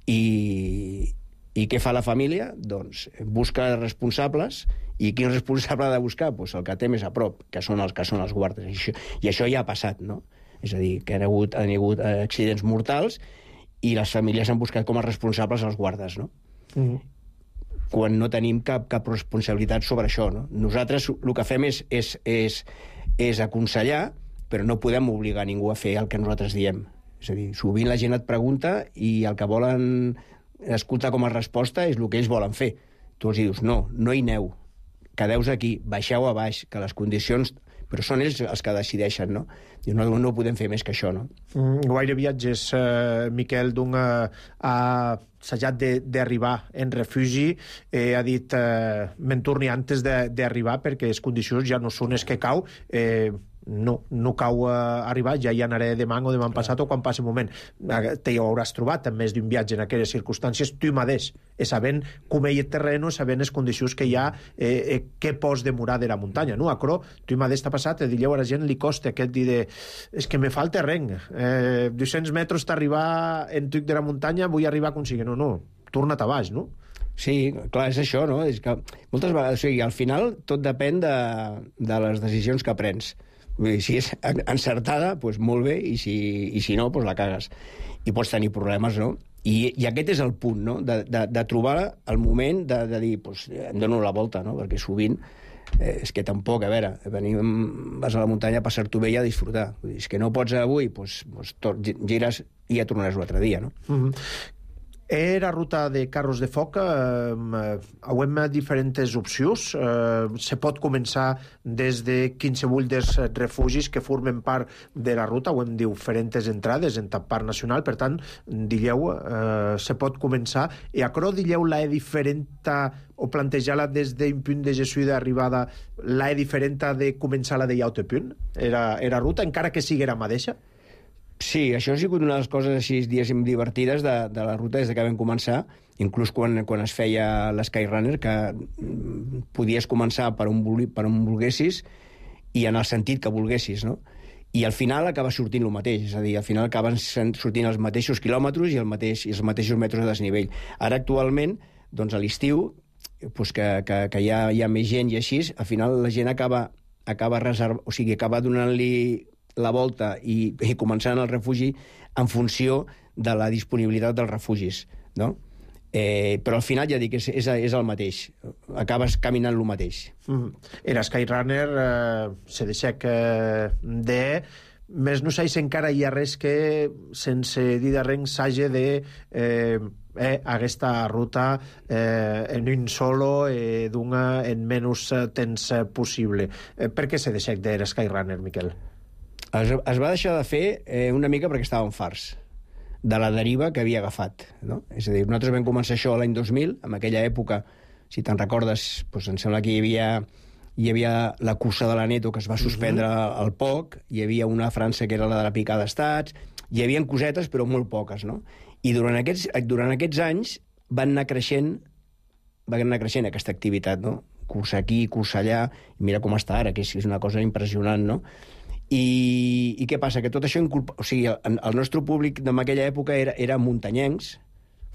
i què fa la família? Doncs busca responsables, i quin responsable ha de buscar? Doncs el que té més a prop, que són els guardes. I això ja ha passat, no? És a dir, que han hagut accidents mortals i les famílies han buscat com a responsables els guardes, no? quan no tenim cap responsabilitat sobre això, no? Nosaltres el que fem és aconsellar, però no podem obligar ningú a fer el que nosaltres diem. És a dir, sovint la gent et pregunta i el que volen escoltar com a resposta és el que ells volen fer. Tu els dius, no hi aneu, quedeu aquí, baixeu a baix, que les condicions... Però són ells els que decideixen, no? I no podem fer més que això, no? Guaire viatges, Miquel, ha assajat d'arribar en refugi, ha dit, me'n torni antes d'arribar perquè les condicions ja no són les que cau, no cau arribar, ja hi anaré demà o demà passat o quan passi un moment. Te hi hauràs trobat en més d'un viatge en aquelles circumstàncies, tu mateix, sabent com hi ha terreno, sabent les condicions que hi ha, què pots demorar de la muntanya, no? Acro, tu mateix t'ha passat, dieu a la gent, li costa aquest dir és que me falta terreny, 200 metres t'arribar en tuc de la muntanya, vull arribar a aconseguir, no, torna't a baix, no? Sí, clar, és això, no? És que moltes vegades, o sigui, al final tot depèn de les decisions que prens. Vull dir, si és encertada, doncs molt bé, i si no, doncs la cagues. I pots tenir problemes, no? I aquest és el punt, no? De trobar el moment de dir, doncs em dono la volta, no? Perquè sovint és que tampoc, a veure, vas a la muntanya a passar-t'ho bé i a disfrutar. Vull dir, és que no pots avui, doncs gires i ja tornaràs l'altre dia, no? Era ruta de carros de foc, hem diferents opcions. Se pot començar des de qualsevol dels refugis que formen part de la ruta, ho hem diferents entrades en Parc Nacional, per tant, dilleu, se pot començar. I acro dilleu la diferent o plantejar-la des d'un punt de gestió d'arribada, la diferent de començar-la de l'altre punt? Era ruta, encara que sigui la mateixa? Sí, això ha sigut una de les coses així, diguéssim, divertides de la ruta des que vam començar, inclús quan es feia l'Skyrunner, que podies començar per on volguessis i en el sentit que volguessis, no? I al final acaba sortint el mateix, és a dir, al final acaben sortint els mateixos quilòmetres i els mateixos metres de desnivell. Ara, actualment, doncs a l'estiu, doncs que hi ha més gent i així, al final la gent acaba donant-li la volta i començant el refugi en funció de la disponibilitat dels refugis, no? Però al final ja dic, és el mateix. Acabes caminant el mateix. Era Skyrunner, se deixec de... Més no sé si encara hi ha res que, sense dir de res, s'hagi de aquesta ruta en un solo en menys temps possible. Per què se deixec de Skyrunner, Miquel? Es va deixar de fer una mica perquè estàvem farts de la deriva que havia agafat, no? És a dir, nosaltres vam començar això l'any 2000, en aquella època, si te'n recordes, doncs em sembla que hi havia la cursa de l'Aneto que es va suspendre al poc, hi havia una a França que era la de la picada d'estats, hi havia cosetes però molt poques, no? I durant aquests anys va anar creixent aquesta activitat, no? Cursa aquí, cursa allà, i mira com està ara, que és una cosa impressionant, no? I què passa? Que tot això o sigui, el nostre públic d'aquella època era muntanyencs,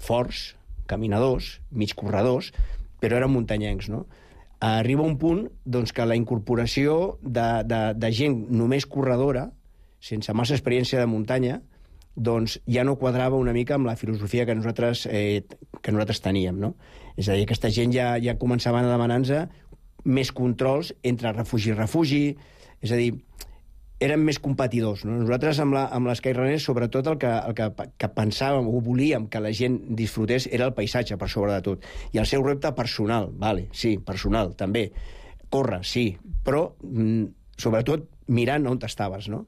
forts, caminadors, mig corredors, però eren muntanyencs, no? Arriba un punt doncs, que la incorporació de gent només corredora, sense massa experiència de muntanya, doncs ja no quadrava una mica amb la filosofia que nosaltres teníem, no? És a dir, aquesta gent ja començaven a demanar-nos més controls entre refugi i refugi, és a dir, eren més competidors, no? Nosaltres amb l'Skyrunner, sobretot el que pensàvem o volíem que la gent disfrutés era el paisatge, per sobre de tot. I el seu repte personal, vale, sí, personal, també. Córrer, sí, però sobretot mirant on estaves, no?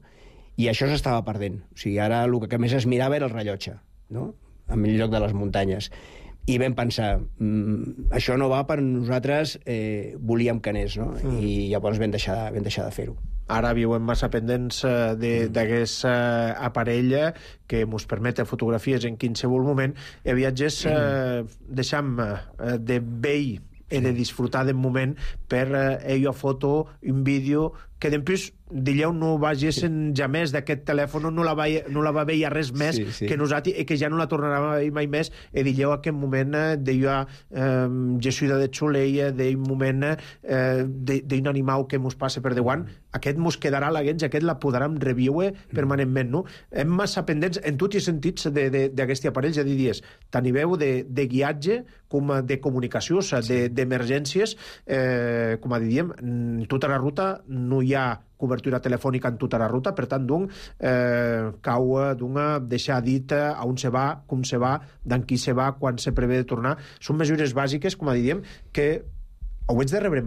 I això s'estava perdent. O sigui, ara el que més es mirava era el rellotge, no? En lloc de les muntanyes. I vam pensar, això no va per nosaltres, volíem que anés, no? I llavors vam deixar de fer-ho. Ara viuen massa pendents d'aquest aparell que ens permet fotografies en qualsevol moment i viatges deixam de vell he de disfrutar del moment per ella foto, un vídeo que d'empús dileu no vagessin jamés d'aquest telèfon, no la va veia res més que nosaltres, i que ja no la tornarà a veure mai més, i dileu aquest moment d'allò gessuida de xuleia, d'un moment d'un animal que mos passa per davant, aquest mos quedarà a la gens, aquest la podrem reviure permanentment, no? Hem massa pendents en tots els sentits d'aquest aparell, ja diries, tant a nivell de guiatge com de comunicació, d'emergències, com diríem, en tota la ruta no hi ha cobertura telefònica en tota la ruta, per tant, cau deixar dit a on se va, com se va, d'en qui se va, quan se prevé de tornar. Són mesures bàsiques, com diríem, que ho ets de rebre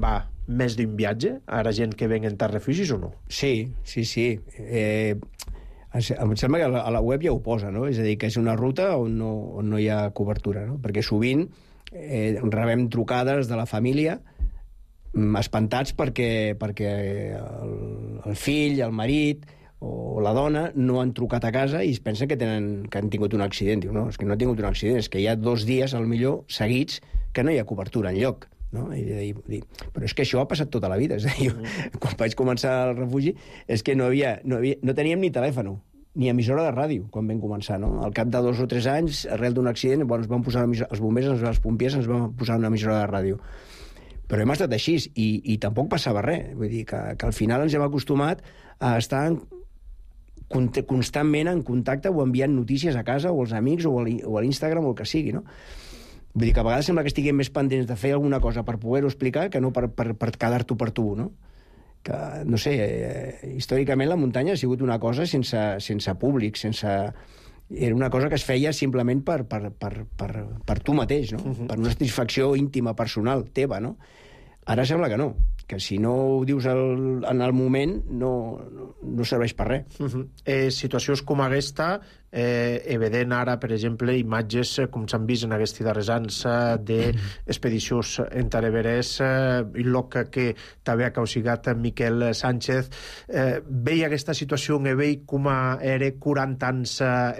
més d'un viatge a la gent que venen a refugis o no? Sí. Em sembla que a la web ja ho posa, no? És a dir, que és una ruta on no hi ha cobertura, no? Perquè sovint rebem trucades de la família espantats perquè el fill, el marit o la dona no han trucat a casa i es pensen que han tingut un accident. Diu, no, és que no ha tingut un accident, és que hi ha 2 dies, al millor, seguits, que no hi ha cobertura enlloc. No? Però és que això ha passat tota la vida. És a dir, quan vaig començar el refugi és que no teníem ni telèfon ni emissora de ràdio quan vam començar, no? Al cap de 2 o 3 anys, arrel d'un accident, ens van posar els bombers, els pompiers ens van posar una emissora de ràdio. Però hem estat així i tampoc passava res. Vull dir que al final ens hem acostumat a estar constantment en contacte o enviant notícies a casa o als amics o a l'Instagram o el que sigui, no? Vull dir que a vegades sembla que estiguem més pendents de fer alguna cosa per poder-ho explicar que no per quedar-t'ho per tu, no? Que, no sé, històricament la muntanya ha sigut una cosa sense públic, era una cosa que es feia simplement per tu mateix, no? Per una satisfacció íntima, personal, teva, no? Ara sembla que no, que si no ho dius en el moment no serveix per res. Situacions com aquesta, vedent ara, per exemple, imatges com s'han vist en aquests darrers anys d'expedicions entre Everest, el lloc que també ha causat Miquel Sánchez, veia aquesta situació en veig com era 40 anys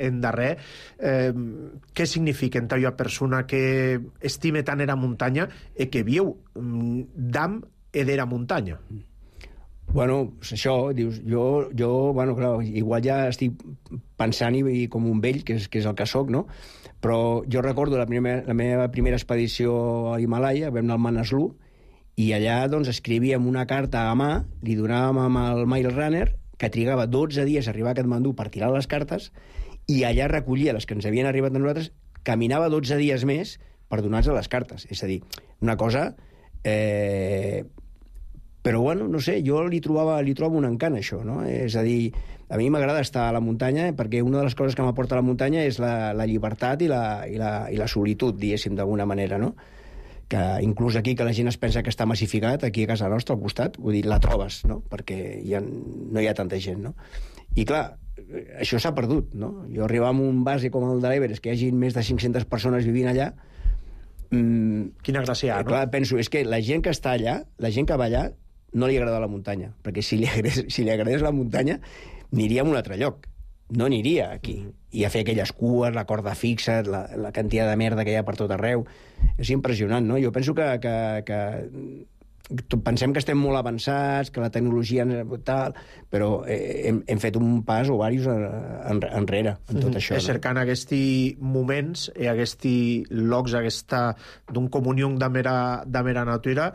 endarrer. Què significa en aquella persona que estime tant era muntanya i que viu d'am d'era muntanya? Bueno, això, dius, jo bueno, clar, igual ja estic pensant i com un vell, que és el que soc, no? Però jo recordo la meva primera expedició a l'Himalaya, vam anar al Manaslu, i allà doncs escrivíem una carta a mà, li donàvem amb el Mail Runner, que trigava 12 dies a arribar a Katmandú per tirar les cartes, i allà recollia les que ens havien arribat a nosaltres, caminava 12 dies més per donar-nos les cartes. És a dir, una cosa... Però, bueno, no sé, jo li trobo un encant, això, no? És a dir, a mi m'agrada estar a la muntanya perquè una de les coses que m'aporta a la muntanya és la llibertat i la solitud, diguéssim, d'alguna manera, no? Que inclús aquí, que la gent es pensa que està massificat, aquí a casa nostra, al costat, vull dir, la trobes, no? Perquè no hi ha tanta gent, no? I, clar, això s'ha perdut, no? Jo arribar a un base com el de l'Everest, que hi hagi més de 500 persones vivint allà... Quina gràcia, no? Clar, penso, és que la gent que està allà, la gent que va allà, no li agrada la muntanya, perquè si li agradés la muntanya aniria a un altre lloc, no aniria aquí i a fer aquelles cues, la corda fixa, la quantitat de merda que hi ha per tot arreu. És impressionant, no? Jo penso que pensem que estem molt avançats, que la tecnologia tal, però hem fet un pas o diversos enrere en tot això. Cercant aquests moments i aquests llocs d'un comunió de mera natura,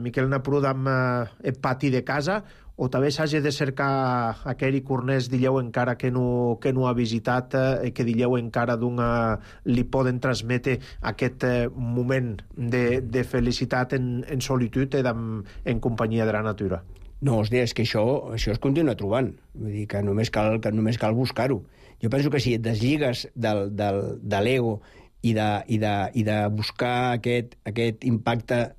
Miquel Napru, amb el pati de casa, o també s'hagi de cercar aquell cornès, dilleu, encara que no ha visitat, que dilleu encara li poden transmetre aquest moment de felicitat en solitud i en companyia de la natura. No, hòstia, és que això es continua trobant. Vull dir que només cal buscar-ho. Jo penso que si et desligues de l'ego i de buscar aquest impacte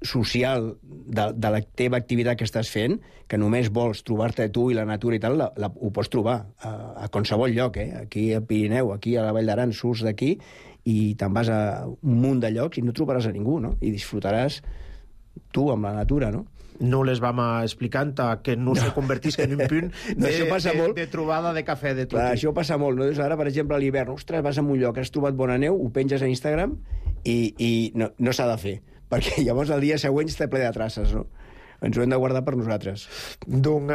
social de la teva activitat que estàs fent, que només vols trobar-te tu i la natura i tal, ho pots trobar a qualsevol lloc, aquí al Pirineu, aquí a la Vall d'Aran, surts d'aquí i te'n vas a un munt de llocs i no trobaràs a ningú, no? I disfrutaràs tu amb la natura, no? No les vam explicant que no se convertisca en un punt de trobada de cafè de tot. Això passa molt, no? Ara, per exemple, a l'hivern, ostres, vas a un lloc, has trobat bona neu, ho penges a Instagram i no s'ha de fer, perquè llavors el dia següent està ple de traces, no? Ens ho hem de guardar per nosaltres. Donc,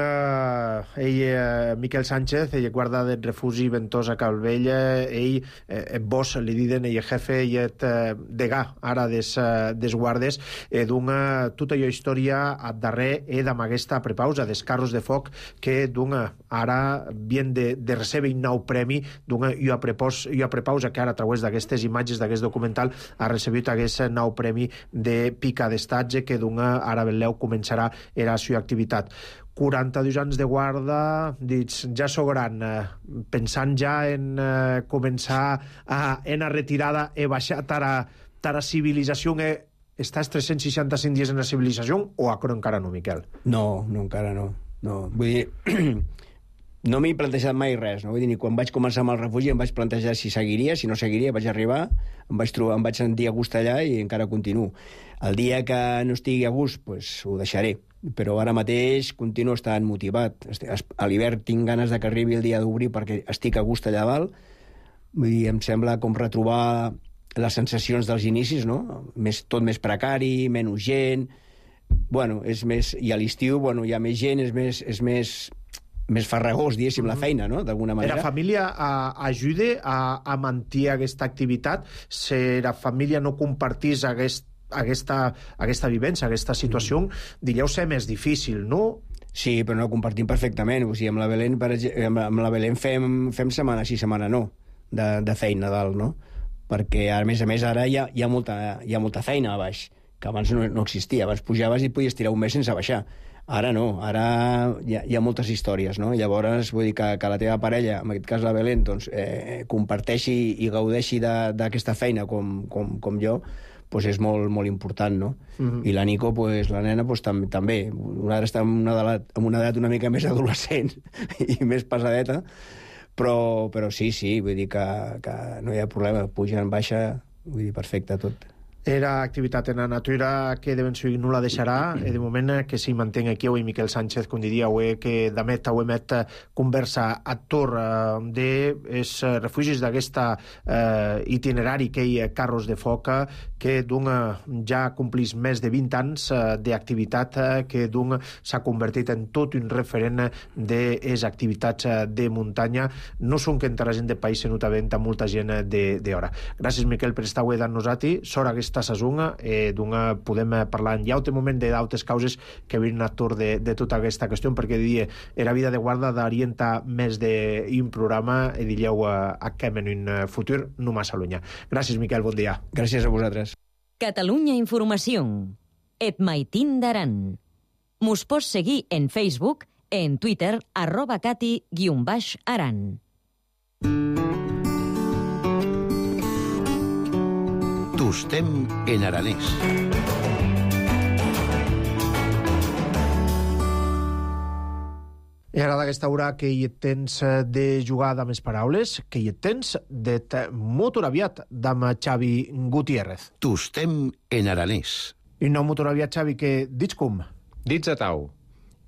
Miquel Sánchez, ell guarda del refugi Ventosa Calvella, ell, vos li diden, ell jefe, ell degà ara des guardes, tota allò història a darrer amb aquesta prepausa des carros de foc que ara vien de recebre un nou premi i a prepausa que ara a través d'aquestes imatges d'aquest documental ha recebut aquest nou premi de pica d'estatge que ara Beleu començarà era la seva activitat. 42 anys de guarda, dits, ja sou gran, pensant ja en començar en la retirada e baixar tara civilització, estàs 365 dies en la civilització o encara no, Miquel? No, encara no. Vull dir, no m'he plantejat mai res, no? Vull dir, quan vaig començar amb el refugi em vaig plantejar si seguiria, si no seguiria, vaig arribar, em vaig sentir a gust allà i encara continuo. El dia que no estigui a gust, pues, ho deixaré, però ara mateix continuo estant motivat. A l'hivern tinc ganes de que arribi el dia d'obrir perquè estic a gust allà dalt. Vull dir, em sembla com retrobar les sensacions dels inicis, no? Tot més precari, menys gent... Bueno, és més... I a l'estiu, bueno, hi ha més gent, és més farragós, diguéssim, la feina, no?, d'alguna manera. La família ajuda a mantenir aquesta activitat? Si la família no compartís aquesta vivència, aquesta situació, diríeu ser més difícil, no? Sí, però no ho compartim perfectament. O sigui, amb la Belén, amb la Belén fem setmana sí, setmana no, de feina dalt, no? Perquè, a més, ara hi ha molta feina a baix, que abans no existia. Abans pujaves i podies tirar un mes sense baixar. Ara no, ara hi ha moltes històries, no? Llavors, vull dir que la teva parella, en aquest cas la Belén, doncs, comparteixi i gaudeixi d'aquesta feina com jo, doncs és molt, molt important, no? I la Nico, la nena, també. Una està en una edat una mica més adolescent i més pesadeta, però sí, vull dir que no hi ha problema, puja en baixa, vull dir, perfecte tot. Era activitat en la natura que de ben seguir no la deixarà, de moment que s'hi mantenga aquí avui Miquel Sánchez, com diria, que d'emet conversa a Tor dels refugis d'aquesta itinerari que hi ha carros de foc que ja complís més de 20 anys d'activitat que s'ha convertit en tot un referent de les activitats de muntanya. No són que entre la gent de país se notavent a molta gent d'hora. Gràcies, Miquel, per estar avui d'annos-ati. Sort aquesta sasonga, podem parlar en llaute moment d'altres causes que venen a Tor de tota aquesta qüestió, perquè la vida de guarda d'orientar més d'un programa i diríeu a què en un futur no massa lluny. Gràcies, Miquel, bon dia. Gràcies a vosaltres. Catalunya Informació. Et maitin d'aran. Mos pots seguir en Facebook, en Twitter, @cati_aran. Tostem en aranès. I ara d'aquesta hora que hi tens de jugar amb les paraules, que hi tens de motor aviat amb Xavi Gutiérrez. Tostem en aranès. I no motor aviat, Xavi, que dits com? Dits a tau.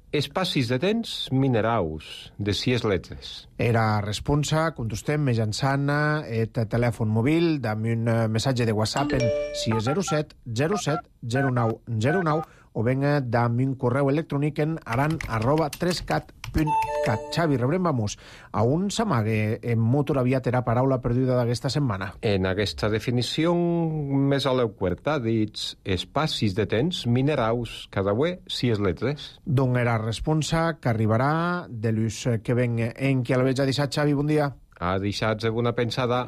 Espacis de temps mineraus de 6 lletres. Era responsa, contestem mitjançant el telèfon mòbil amb un missatge de WhatsApp en 607 07 09 09 o ben amb un correu electrònic en aran@3cat.cat. Xavi, rebrem vamos. A on s'amague en motor aviat era paraula perduda d'aquesta setmana? En aquesta definició més a l'euquerta dits espacis de temps mineraus cada ué 6 lletres. D'on era responsa que arribarà de l'ús que ven en qui el veig a deixar, Xavi, bon dia. A deixats alguna pensada.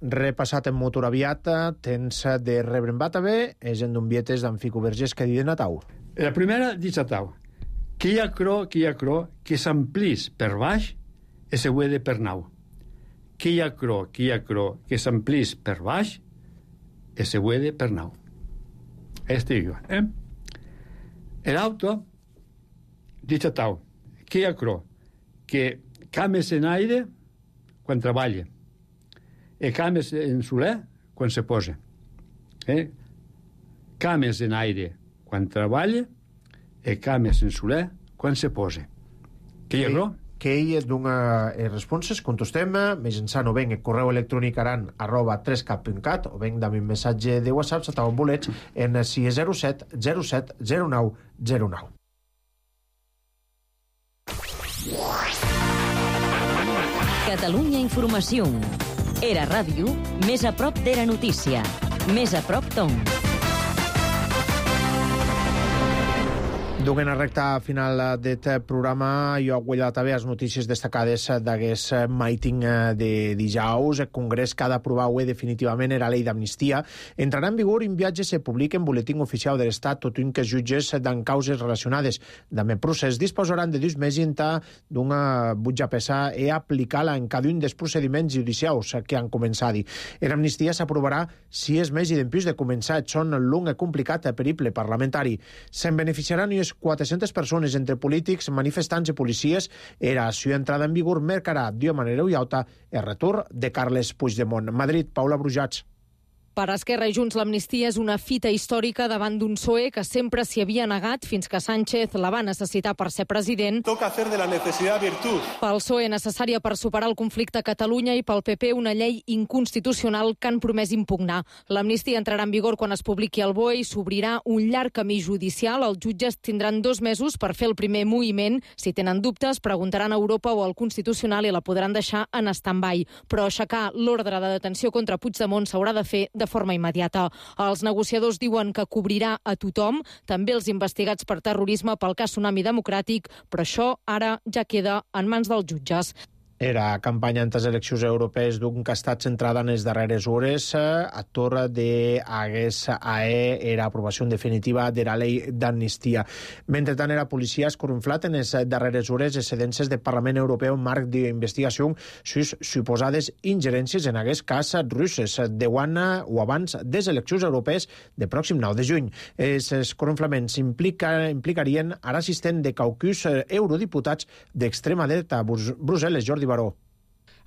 Repassat en motor aviat, tens de rebre en Batave, és en d'un vietes d'en Fico Vergés que diuen a tau. La primera dice a tau. Que hi ha cro, que s'amplís per baix i se huede per nau. Que hi ha cro, que s'amplís per baix i se huede per nau. Digo, El auto dice a tau. Que hi ha cro, que cames en aire quan treballa. E cames en soler quan se posa. Cames en aire quan treballa e cames en soler quan se posa. Que hi ha gro? Que ell dona responses, contestem, mitjançant o ben el correu electrònic aran@3cap.cat o ben amb un missatge de WhatsApp si t'ho volets en 607 07 09 09. Catalunya Informació. Era ràdio, més a prop d'Era Notícia. Més a prop Tom. Duguem a recta final d'aquest programa, jo he guanyat també les notícies destacades d'aquest meeting de dijous. El Congrés que ha d'aprovar definitivament la llei d'amnistia. Entrarà en vigor en viatge se publica en boletín oficial de l'Estat, tot un que els jutges d'en causes relacionades amb el procés disposaran de 2 mesos d'una butja pesar i aplicar-la en cada un dels procediments judicials que han començat. L'amnistia s'aprovarà si és més i d'empús de començar. Són long i complicat periple parlamentari. Se'n beneficiaran unes 400 persones entre polítics, manifestants i policies. Era su entrada en vigor marcarà d'una manera ullauta el retorn de Carles Puigdemont. Madrid, Paula Brujats. Per Esquerra i Junts, l'amnistia és una fita històrica davant d'un PSOE que sempre s'hi havia negat fins que Sánchez la va necessitar per ser president. Toca hacer de la necesidad virtud. Pel PSOE necessària per superar el conflicte a Catalunya i pel PP una llei inconstitucional que han promès impugnar. L'amnistia entrarà en vigor quan es publiqui al BOE i s'obrirà un llarg camí judicial. Els jutges tindran 2 mesos per fer el primer moviment. Si tenen dubtes, preguntaran a Europa o al Constitucional i la podran deixar en stand-by. Però aixecar l'ordre de detenció contra Puigdemont s'haurà de fer de forma immediata. Els negociadors diuen que cobrirà a tothom, també els investigats per terrorisme pel cas Tsunami Democràtic, però això ara ja queda en mans dels jutges. Era campanya en les eleccions europees d'un que ha estat centrada en les darreres hores. Actor de hagués AE era aprovació definitiva de la llei d'amnistia. Mentrestant, la policia ha escorunflat en les darreres hores les sedències del Parlament Europeu en marc d'investigació sus suposades ingerències en aquest cas russes de o abans de les eleccions europees de pròxim 9 de juny. Els escorunflaments implicarien ara assistent de caucus eurodiputats d'extrema dreta a Brussel·les, Jordi Baró.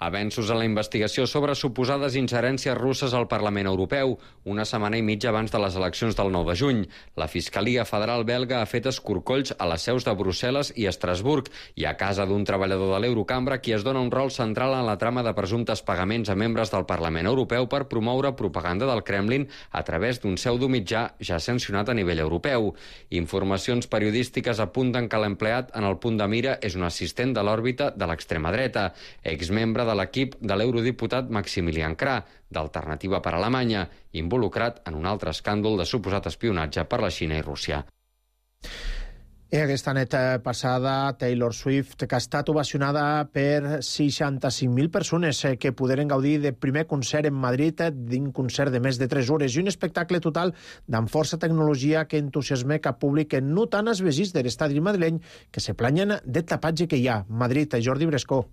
Avenços en la investigació sobre suposades ingerències russes al Parlament Europeu, una setmana i mitja abans de les eleccions del 9 de juny. La Fiscalia Federal belga ha fet escorcolls a les seus de Brussel·les i Estrasburg i a casa d'un treballador de l'Eurocambra qui es dona un rol central en la trama de presumptes pagaments a membres del Parlament Europeu per promoure propaganda del Kremlin a través d'un pseudomitjà ja sancionat a nivell europeu. Informacions periodístiques apunten que l'empleat en el punt de mira és un assistent de l'òrbita de l'extrema dreta, exmembre de l'equip de l'eurodiputat Maximilian Krah, d'Alternativa per Alemanya, involucrat en un altre escàndol de suposat espionatge per la Xina i Rússia. I aquesta nit passada, Taylor Swift, que ha estat ovacionada per 65.000 persones que poderen gaudir del primer concert en Madrid, d'un concert de més de 3 hores, i un espectacle total d'amb força tecnologia que entusiasma cap públic no tant els veïns de l'estadi madrileny que se planyen del tapatge que hi ha. Madrid, Jordi Brescó.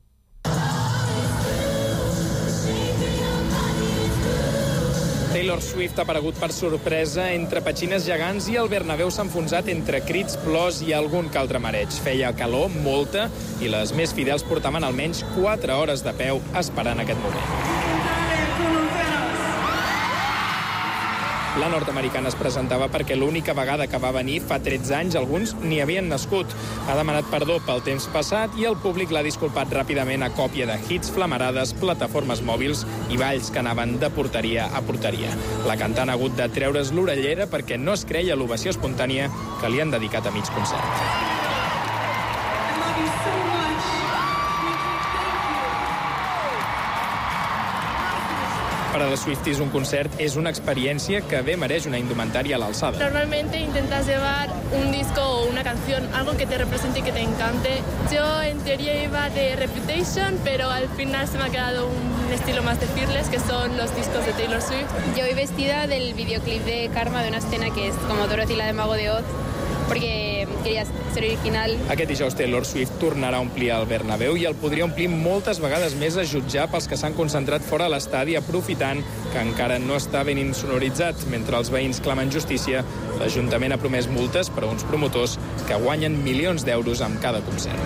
Taylor Swift ha aparegut per sorpresa entre petxines gegants i el Bernabéu s'ha enfonsat entre crits, plors i algun que altre mareig. Feia calor, molta, i les més fidels portaven almenys 4 hores de peu esperant aquest moment. La nord-americana es presentava perquè l'única vegada que va venir fa 13 anys alguns n'hi havien nascut. Ha demanat perdó pel temps passat i el públic l'ha disculpat ràpidament a còpia de hits, flamarades, plataformes mòbils i balls que anaven de porteria a porteria. La cantant ha hagut de treure's l'orellera perquè no es creia l'ovació espontània que li han dedicat a mig concert. Per a les Swifties un concert és una experiència que bé mereix una indumentària a l'alçada. Normalmente intentas llevar un disco o una canción, algo que te represente y que te encante. Yo en teoría iba de Reputation, pero al final se me ha quedado un estilo más de Fearless, que son los discos de Taylor Swift. Yo voy vestida del videoclip de Karma, de una escena que es como Dorothy la de Mago de Oz, perquè queria ser original. Aquest dijous Taylor Swift tornarà a omplir el Bernabéu i el podria omplir moltes vegades més a jutjar pels que s'han concentrat fora de l'estadi aprofitant que encara no està ben insonoritzat. Mentre els veïns clamen justícia, l'Ajuntament ha promès multes per a uns promotors que guanyen milions d'euros amb cada concert.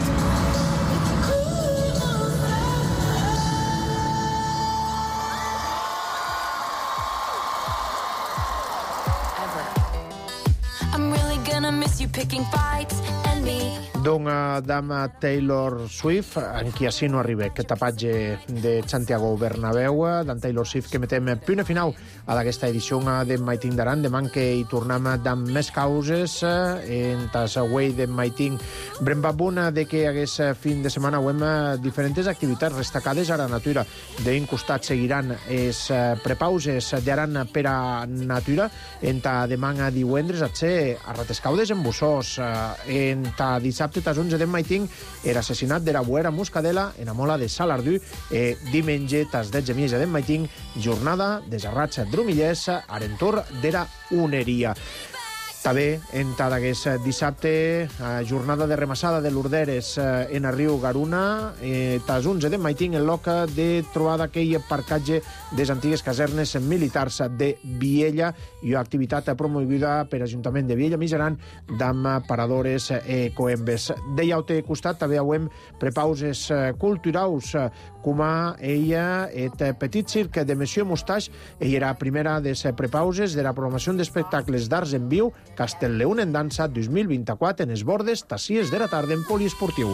Picking fights and me Dama Taylor Swift, en qui així no arriba aquest tapatge de Santiago Bernabéu, d'en Taylor Swift, que metem punt final a d'aquesta edició d'en Maiting d'Aran. Demà que hi tornem amb més causes en tas away d'en Maiting. Brembabuna de que hagués fin de setmana hem diferents activitats destacades a la natura. D'un costat seguiran les prepauses d'Aran per a natura. En ta demà a divendres a Ratescaudes en Bussós. En ta dissabte tas 11 de Maiting era assassinat de la Buera Muscadela en Amola de Salardú. Diumenge tas 10 de de Maiting jornada de Serrats Drumillers a l'entorn de la Uneria. També, en d'aquest dissabte, jornada de remassada de l'Urderes en el riu Garuna, tas 11 de Maiting, en l'oca de trobada aquell parcatge de les antigues casernes militars de Viella i una activitat promovida per l'Ajuntament de Viella Mijaran d'amb paradores coembes. D'ell altre costat també hem prepauses culturals com a ella et petit circ de Monsieur Mustache. Ella era primera de les prepauses de la programació d'espectacles d'arts en viu Castellleun en dansa 2024 en esbordes tassies de la tarda en poliesportiu.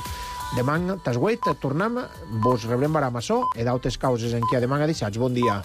Demà, tas 8, tornem, vos rebrem a Massó i d'altres causes en què demà a deixats. Bon dia.